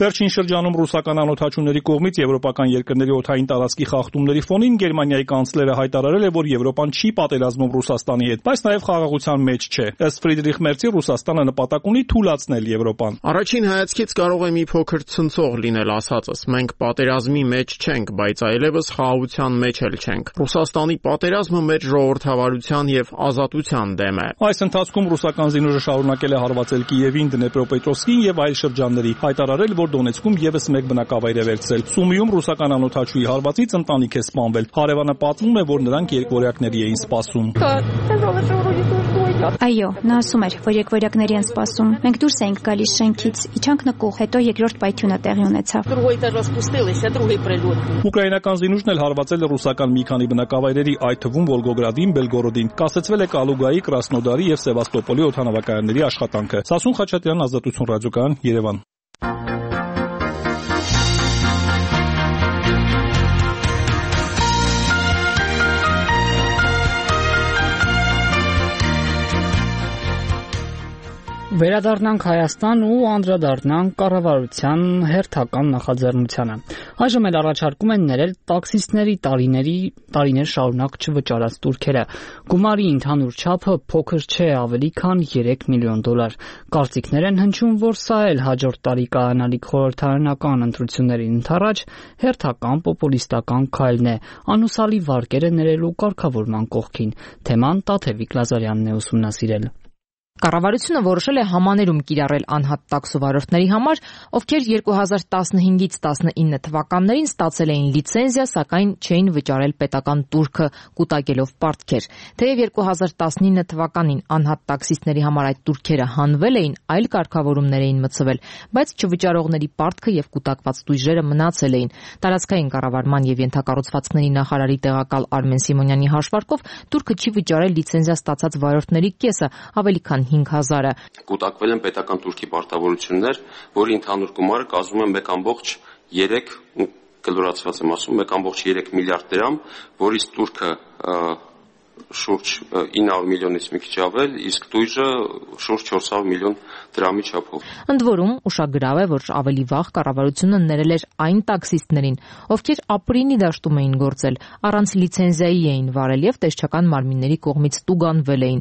Վերջին շրջանում ռուսական անօդաչուների կողմից եվրոպական երկրների օդային տարածքի խախտումների ֆոնին Գերմանիայի կանցլերը հայտարարել է, որ Եվրոպան չի պատերազմում Ռուսաստանի հետ, բայց նաև խաղաղության մեջ չէ։ Ըստ Ֆրիդրիխ Մերցի, Ռուսաստանը նպատակ ունի թուլացնել Եվրոպան։ Առաջին հայացքից կարող է մի փոքր ցնցող լինել ասածս։ Մենք պատերազմի մեջ չենք, բայց այլևս խաղաղության մեջ էլ չենք։ Ռուսաստանի պատերազմը մեր ժողովրդավարության եւ ազատության դեմ է։ Այս ընթացքում ռուսական զինուժը շարունակել է հարվածել Կիևին, Դնեպրոպետրովսկին եւ այլ շրջանների, հայտարարել, որ Դոնեցկում եւս մեկ բնակավայր է վերցրել։ Սումիում ռուսական անօդաչուի հարվածից ընտանիք է սպանվել։ Հարևանը պատմում է, որ նրանք երկվորյակների էին սպասում։ Այո, նա ասում էր, որ երկվորյակների են սպասում։ Մենք դուրս էինք գալիս շենքից, իջանք նկուղ, հետո երկրորդ պայթյունը տեղի ունեցավ։ Ուկրաինական զինուժն էլ հարվածել է ռուսական մի քանի բնակավայրերի, այդ թվում Վոլգոգրադին, Բելգորոդին։ Կասեցվել է Կալուգայի, Կրասնոդարի եւ Սևաստոպոլի օդանավակայանների աշխատանքը։ Սասուն Խաչատրյան, Ազատություն ռադիոկայան, Երևան։ Վերադառնանք Հայաստան ու անդրադառնանք կառավարության հերթական նախաձեռնությանը։ Այժմ էլ առաջարկում են ներել տաքսիստների տարիներ շարունակ չվճարած տուրքերը։ Գումարի ընդհանուր չափը փոքր չէ, ավելի քան $3 միլիոն։ Կարծիքներ են հնչում, որ սա էլ հաջորդ տարի կայանալիք խորհրդարանական ընտրություններին ընդառաջ հերթական պոպուլիստական քայլն է, անուսալի վարկերը ներելու կարգավորման կողքին։ Թեման Տաթևիկ Լազարյանն է ուսումնասիրել։ Կառավարությունը որոշել է համաներում կիրառել անհատ տաքսովարորդների համար, ովքեր 2015-ից 19 թվականներին ստացել էին լիցենզիա, սակայն չէին վճարել պետական տուրքը, կուտակելով պարտքեր։ Թեև 2019 թվականին անհատ տաքսիստների համար այդ տուրքերը հանվել էին, այլ կարգավորումներ էին մտցվել, բայց չվճարողների պարտքը եւ կուտակված տույժերը մնացել էին։ Տարածքային կառավարման եւ ենթակառուցվածքների նախարարի տեղակալ Արմեն Սիմոնյանի հաշվարկով տուրքը չի վճարել լիցենզիա ստացած վարորդների կեսը, ավելի քան 5,000-ը։ Կուտակվել են պետական տուրքի պարտավորություններ, որի ընդհանուր գումարը կազմում է 1,3 կլորացված եմ ասում 1,3 միլիարդ դրամ, որից տուրքը շուրջ 900 միլիոնից մի քիչ ավել, իսկ տույժը շուրջ 400 միլիոն դրամի չափով։ Ընդ որում, ուշագրավ է, որ ավելի վաղ կառավարությունը ներել էր այն տաքսիստներին, ովքեր ապրինի դաշտում էին գործել, առանց լիցենզիայի էին վարել եւ տեսչական մարմինների կողմից տուգանվել էին։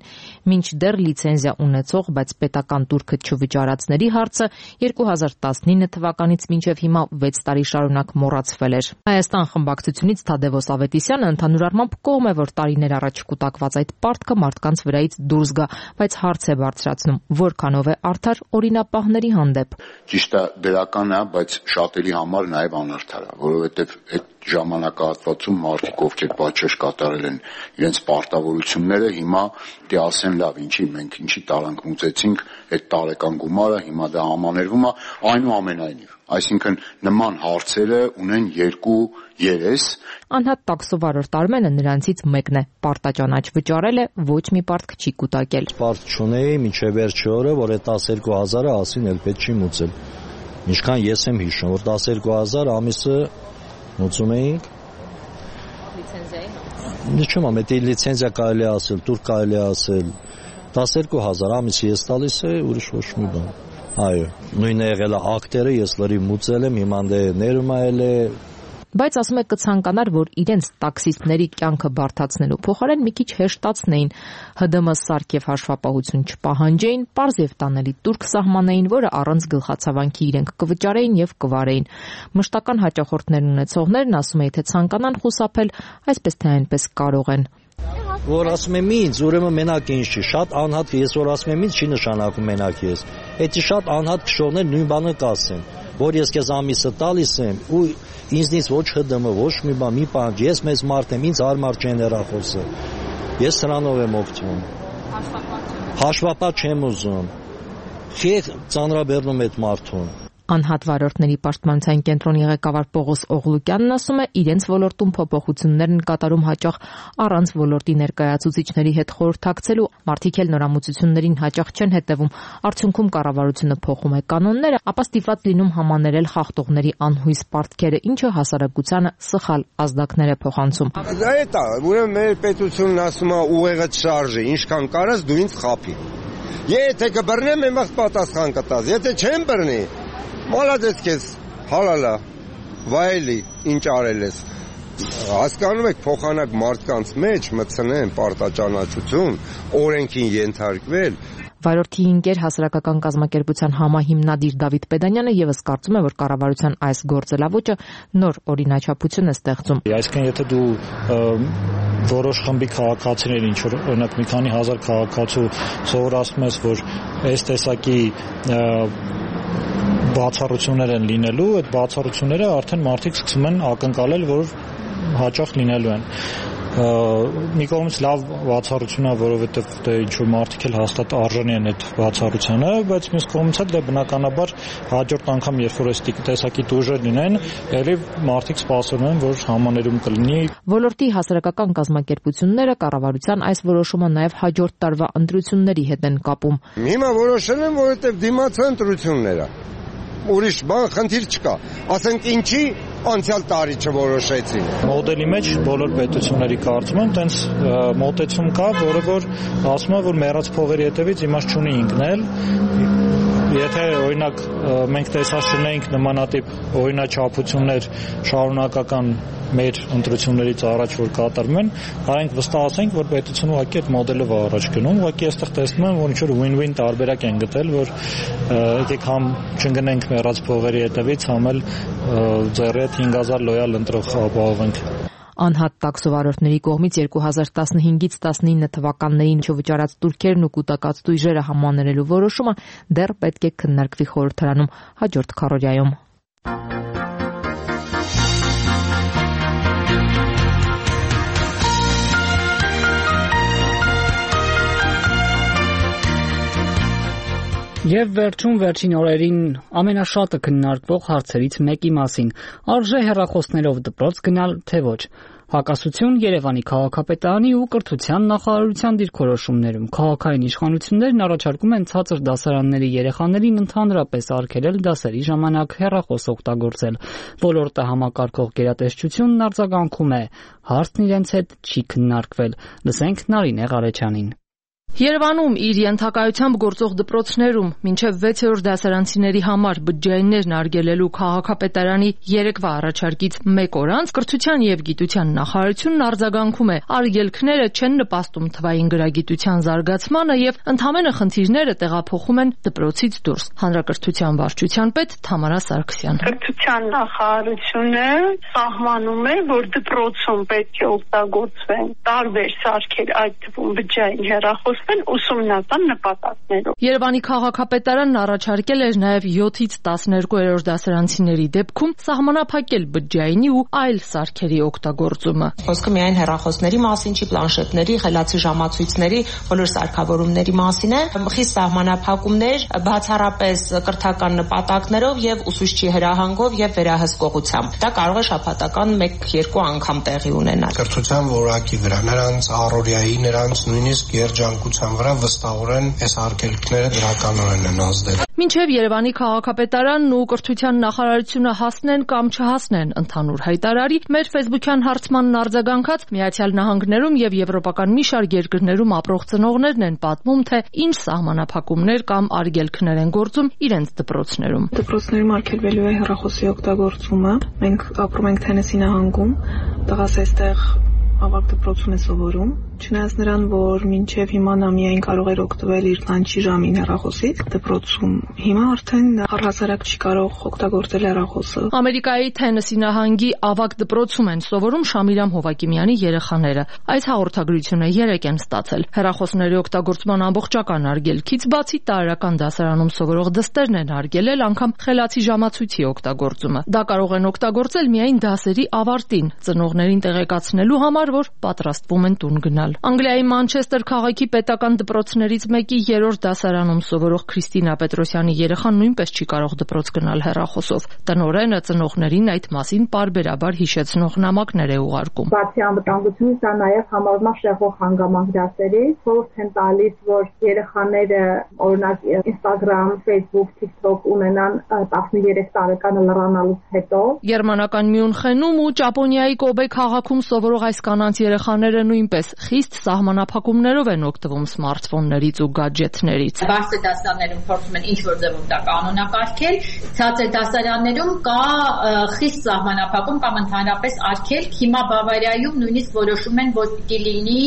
Մինչդեռ լիցենզիա ունեցող, բայց պետական տուրքը չվճարածների հարցը 2019 թվականից մինչև հիմա 6 տարի շարունակ մոռացվել էր։ Հայաստան խմբակցությունից Թադևոս Ավետիսյանը ընդհանուր առմամբ կողմ է, որ տարիներ առաջ կուտակված այդ պարտքը մարդկանց վրայից դուրս գա, բայց հարց է բարձրացնում, որքանով է արդար օրինապահների հանդեպ։ Ճիշտ է, դրական է, բայց շատերի համար նաև անարդար է, որովհետև այդ ժամանակահատվածում մարդիկ, ովքեր պատժեշ կատարել են իրենց պարտավորությունները, հիմա դե ասեն լավ, ինչի տարանք մուծեցինք այդ տարեկան գումարը, հիմա դա համաներվում է, այնուամենայնիվ։ Այսինքն նման հարցերը ունեն երկու երես։ Անհատ տաքսովարորդ Արմենը նրանցից մեկն է։ Պարտաճանաչ վճարել է, ոչ մի պարտք չի կուտակել։ Պարտ չունեի մինչև վերջի օրը, որ այդ 12,000-ը ասին էլ պետք չի մուծել։ Ինչքան ես եմ հիշում, որ 12,000 ամիսը մուծում էինք։ Լիցենզիայի։ Չեմ ամեն լիցենզիա կարելի է ասել, տուրք կարելի է ասել։ 12,000 ամիսը ես տալիս է, ուրիշ ոչ մի բան։ Այո, նույնը եղել է ակտերը, ես լրիվ մուծել եմ, հիմա ներում է։ Բայց ասում է կցանկանար, որ իրենց տաքսիստների կյանքը բարդացնելու փոխարեն մի քիչ հեշտացնեին, ՀԴՄ սարք եւ հաշվապահություն չպահանջեին, պարզ եւ տանելի տուրք սահմանեին, որը առանց գլխացավանքի իրենք կվճարեին եւ կվարեին։ Մշտական հաճախորդներ ունեցողներն ասում է, թե ցանկանան խուսափել, այսպես թե այնպես կարող են։ Որ ասում եմ ինձ, ուրեմն մենակ ինձ չի, շատ անհատ ես որ ասում եմ ինձ չի նշանակում մենակ ես։ Էդի շատ անհատ քշողներ նույն բանը կասեն, որ ես քեզ ամիսը տալիս եմ ու ինձնից ոչ ՀԴՄ, ոչ մի բան, մի բան, ես մեծ մարդ եմ, ինձ հարմար չեն հեռախոսը։ Ես սրանով եմ օգտվում։ Հաշվապատ չեմ ուզում։ Խիղ ծանրաբեռնում այդ մարդուն։ Անհատ վարորդների պաշտպանության կենտրոնի ղեկավար Պողոս Օղլուկյանն ասում է, իրենց ոլորտում փոփոխություններ են կատարում հաճախ առանց ոլորտի ներկայացուցիչների հետ խորհրդակցելու, մարդիկ էլ նորամուծություններին հաճախ չեն հետևում, արդյունքում կառավարությունը փոխում է կանոնները, ապա ստիպված լինում համաներել խախտողների անհույս պարտքերը, ինչը հասարակությանը սխալ ազդակներ է փոխանցում։ Դա ուրեմն մեր պետությունն ասում է ուղեղը շարժի, ինչքան կարաս դու ինձ խափի։ Եթե կբռնեմ, եմ վաղ պատասխան կտաս, եթե չեմ բռնի, մալադես քեզ, հալալա, վայելի, ինչ արել ես։ Հասկանում եք, փոխանակ մարդկանց մեջ մտցնեն պարտաճանաչություն, օրենքին ենթարկվել։ Վարորդի ընկեր հասարակական կազմակերպության համահիմնադիր Դավիթ Պեդանյանը եւս կարծում է, որ կառավարության այս գործելավոճը նոր օրինաչափություն է ստեղծում։ Այսինքն, եթե դու որոշ խմբի քաղաքացիներ, ինչ որ օրինակ մի քանի հազար քաղաքացու սովորացնում ես, որ այս տեսակի բացառություններ են լինելու, այդ բացառությունները արդեն մարդիկ սկսում են ակնկալել, որ հաճախ լինելու են։ Մի կողմից լավ բացառություն է, որովհետև դե ինչ որ մարդիկ էլ հաստատ արժանի են այդ բացառությանը, բայց մյուս կողմից էլ դե բնականաբար հաջորդ անգամ երբ որ այս տեսակի տուժեր լինեն, ելի մարդիկ սպասում են, որ համաներում կլինի։ Ոլորտի հասարակական կազմակերպությունները կառավարության այս որոշումը նաև հաջորդ տարվա ընտրությունների հետ են կապում։ Հիմա որոշել են, որովհետև դիմացան ընտրությունները։ Ուրիշ բան խնդիր չկա։ Ասենք ինչի անցյալ տարի չորոշեցին։ Մոդելի մեջ բոլոր պետությունների կարծում եմ տենց մոտեցում կա, որը որ ասում է, որ մեռած փողերի հետևից իմաստ չունի ինքնել։ Եթե օրինակ մենք տեսած չունենք նմանատիպ օրինաչափություններ շարունակական մեր ընտրություններից առաջ որ կատարվում են, հարենք վստահ ասենք, որ պետությունը ուղղակի այդ մոդելով առաջ գնում, ուղղակի այստեղ տեսնում եմ, որ ինչ-որ win-win տարբերակ են գտել, որ եկեք համ չընկնենք մեռած փողերի հետևից, համ էլ ձեռի հետ 5000 լոյալ ընտրող ապահովենք։ Անհատ տաքսովարորդների կողմից 2015-ից 19 թվականներին վճարած տուրքերն ու կուտակած տույժերը համաներելու որոշումը դեռ պետք է քննարկվի խորհրդարանում հաջորդ քառորյայում։ Եվ վերջին օրերին ամենաշատը քննարկվող հարցերից մեկի մասին՝ արժե հեռախոսներով դպրոց գնալ, թե ոչ։ Հակասություն Երևանի քաղաքապետարանի ու կրթության նախարարության դիրքորոշումներում քաղաքային իշխանություններն առաջարկում են ցածր դասարանների երեխաներին ընդհանրապես արգելել դասերի ժամանակ հեռախոս օգտագործել։ Ոլորտը համակարգող գերատեսչությունն արձագանքում է, հարցն իրենց հետ չի քննարկվել։ Լսենք Նարինե Ղարեչյանին։ Երևանում իր ենթակայությամբ գործող դպրոցներում մինչև 6-րդ դասարանցիների համար բջջայիններն արգելելու քաղաքապետարանի երեկվա առաջարկից մեկ օր անց կրթության եւ գիտության նախարարությունն արձագանքում է, արգելքները չեն նպաստում թվային գրագիտության զարգացմանը եւ ընդհանրապես խնդիրները տեղափոխում են դպրոցից դուրս։ Հանրակրթության վարչության պետ Թամարա Սարգսյան։ Կրթության նախարարությունը սահմանում է, որ դպրոցում պետք է օգտագործվեն տարբեր սարքեր, այդ թվում բջջային հեռախոս ուսումնական նպատակներով։ Երևանի քաղաքապետարանն առաջարկել էր նաև 7-ից 12-րդ դասարանցիների դեպքում սահմանափակել բջջայինի ու այլ սարքերի օգտագործումը։ Խոսքը միայն հեռախոսների մասին չի, պլանշետների, խելացի ժամացույցների, բոլոր սարքավորումների մասին է։ Խիստ սահմանափակումներ, բացառապես կրթական նպատակներով եւ ուսուցչի հրահանգով եւ վերահսկողությամբ։ Դա կարող է շաբաթական 1-2 անգամ տեղի ունենալ։ Կրթության որակի վրա, նրանց առօրյայի, նրանց նույնիսկ երջանկության վրա վստահորեն այս արգելքները դրականորեն են ազդել։ Մինչև Երևանի քաղաքապետարանն ու կրթության նախարարությունը հասնեն կամ չհասնեն ընդհանուր հայտարարի, մեր ֆեյսբուքյան հարցմանն արձագանքած Միացյալ Նահանգներում եւ եվրոպական մի շարք երկրներում ապրող ծնողներն են պատմում, թե ինչ սահմանափակումներ կամ արգելքներ են գործում իրենց դպրոցներում։ Դպրոցներում արգելվելու է հեռախոսի օգտագործումը։ Մենք ապրում ենք Թենեսի նահանգում, տղաս այստեղ ավագ դպրոցում է սովորում, չնայած նրան, որ մինչև հիմա նա միայն կարող էր օգտվել իր լանչի ժամին հեռախոսից դպրոցում, հիմա արդեն առհասարակ չի կարող օգտագործել հեռախոսը։ Ամերիկայի Թենեսի նահանգի ավագ դպրոցում են սովորում Շամիրամ Հովակիմյանի երեխաները։ Այս հաղորդագրությունը 3 են ստացել։ Հեռախոսների օգտագործման ամբողջական արգելքից բացի տարրական դասարանում սովորող դստերն են արգելել անգամ խելացի ժամացույցի օգտագործումը։ Դա կարող են օգտագործել միայն դասերի ավարտին, ծնողներին տեղեկացնելու համար, որ պատրաստվում են տուն գնալ։ Անգլիայի Մանչեսթեր քաղաքի պետական դպրոցներից մեկի 3-րդ դասարանում սովորող Քրիստինա Պետրոսյանի երեխան նույնպես չի կարող դպրոց գնալ հեռախոսով։ Տնօրենը ծնողներին այդ մասին պարբերաբար հիշեցնող նամակներ է ուղարկում։ Բացի անվտանգությունից, դա նաև համարվում է շեղող հանգամանք դասերի, խորհուրդ են տալիս, որ երեխաները օրինակ Instagram, Facebook, TikTok ունենան 13 տարեկանը լրանալուց հետո։ Գերմանական Մյունխենում ու Ճապոնիայի Կոբե քաղաքում սովորող այս կանանց երեխաները նույնպես խիստ սահմանափակումներով են օգտվում սմարթֆոններից ու գադջեթներից։ Բարձր դասարաններում փորձում են ինչ-որ ձևով դա կանոնակարգել, ցածր դասարաններում կա խիստ սահմանափակում կամ ընդհանրապես արգելք։ Հիմա Բավարիայում նույնիսկ որոշում են, որ պիտի լինի,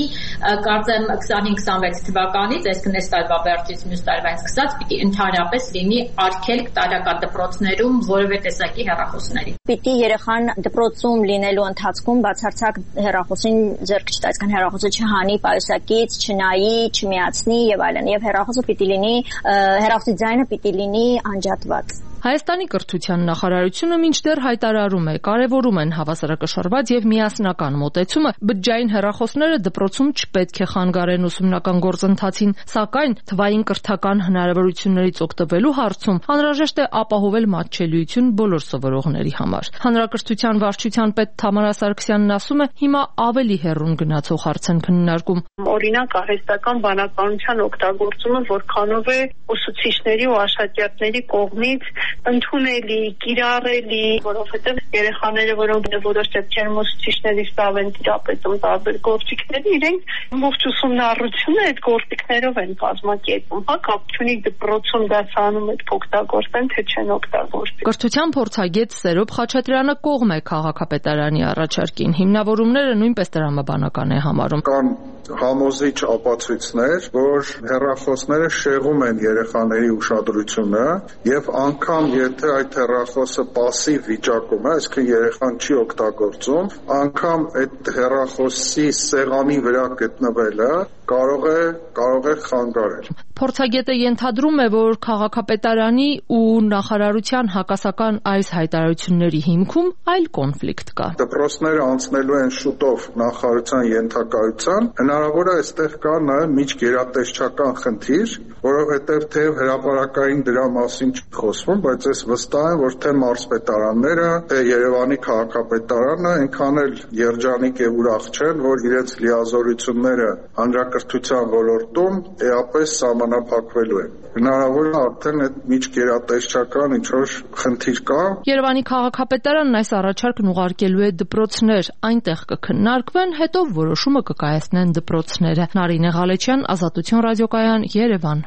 կարծեմ 25-26 թվականից, այսինքն այս տարվա վերջից մյուս տարվանից սկսած պիտի ընդհանրապես լինի արգելք տարրական դպրոցներում որևէ տեսակի հեռախոսների։ Պիտի երեխան դպրոցում լինելու ընթացքում բացարձակ հեռախոսին ձեռք չտա, այսինքն հեռախոսը չհանի պայուսակից, չնայի, չմիացնի եւ այլն, եւ հեռախոսը պիտի լինի, հեռախոսի ձայնը պիտի լինի անջատված։ Հայաստանի կրթության նախարարությունը մինչդեռ հայտարարում է, կարևորում են հավասարակշռված եւ միասնական մոտեցումը, բջջային հեռախոսները դպրոցում չպետք է խանգարեն ուսումնական գործընթացին, սակայն թվային կրթական հնարավորություններից օգտվելու հարցում անհրաժեշտ է ապահովել մատչելիություն բոլոր սովորողների համար։ Հանրակրթության վարչության պետ Թամարա Սարգսյանն ասում է, հիմա ավելի հեռուն գնացող հարց են քննարկում։ Օրինակ արհեստական բանականության օգտագործումը որքանով է ուսուցիչների ու աշակերտների կողմից ընդունելի, կիրառելի, որովհետև երեխաները, որոնք որոշ դեպքերում ուսուցիչների ստավ են տիրապետում տարբեր գործիքների, իրենք ողջ ուսումնառությունը այդ գործիքներով են կազմակերպում, հա, կապ չունի դպրոցում դասանում այդ օգտագործեն, թե չեն օգտագործի։ Կրթության փորձագետ Սերոբ Խաչատրյանը կողմ է քաղաքապետարանի առաջարկին, հիմնավորումները նույնպես տրամաբանական է համարում։ Կան համոզիչ ապացույցներ, որ հեռախոսները շեղում են երեխաների ուշադրությունը եւ անգամ եթե այդ հեռախոսը պասիվ վիճակում է, այսինքն երեխան չի օգտագործում, անգամ այդ հեռախոսի սեղանի վրա գտնվելը կարող է խանգարել։ Փորձագետը ենթադրում է, որ քաղաքապետարանի ու նախարարության հակասական այս հայտարարությունների հիմքում այլ կոնֆլիկտ կա։ Դպրոցները անցնելու են շուտով նախարարության ենթակայության, հնարավոր է այստեղ կա նաև միջգերատեսչական խնդիր, որովհետև թե հրապարակային դրա մասին չի խոսվում, բայց ես վստահ եմ, որ թե մարզպետարանները, թե Երևանի քաղաքապետարանը այնքան էլ երջանիկ եւ ուրախ չեն, որ իրենց լիազորությունները հանրակրթության ոլորտում էապես սահմանափակվելու են։ Հնարավոր է արդեն այդ միջգերատեսչական ինչ-որ խնդիր կա։ Երևանի քաղաքապետարանն այս առաջարկն ուղարկելու է դպրոցներ, այնտեղ կքննարկվեն, հետո որոշումը կկայացնեն դպրոցները։ Նարինե Ղալեչյան, Ազատություն ռադիոկայան, Երևան։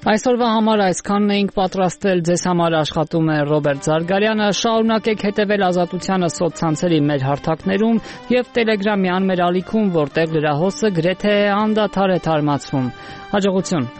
Այսօրվա համար այսքանն էինք պատրաստել, ձեզ համար աշխատում է Ռոբերտ Զարգարյանը, շարունակեք հետևել Ազատությանը սոցցանցերի մեր հարթակներում եւ Տելեգրամյան մեր ալիքում, որտեղ լրահոսը գրեթե անդադար է թարմացվում։ Հաջողություն։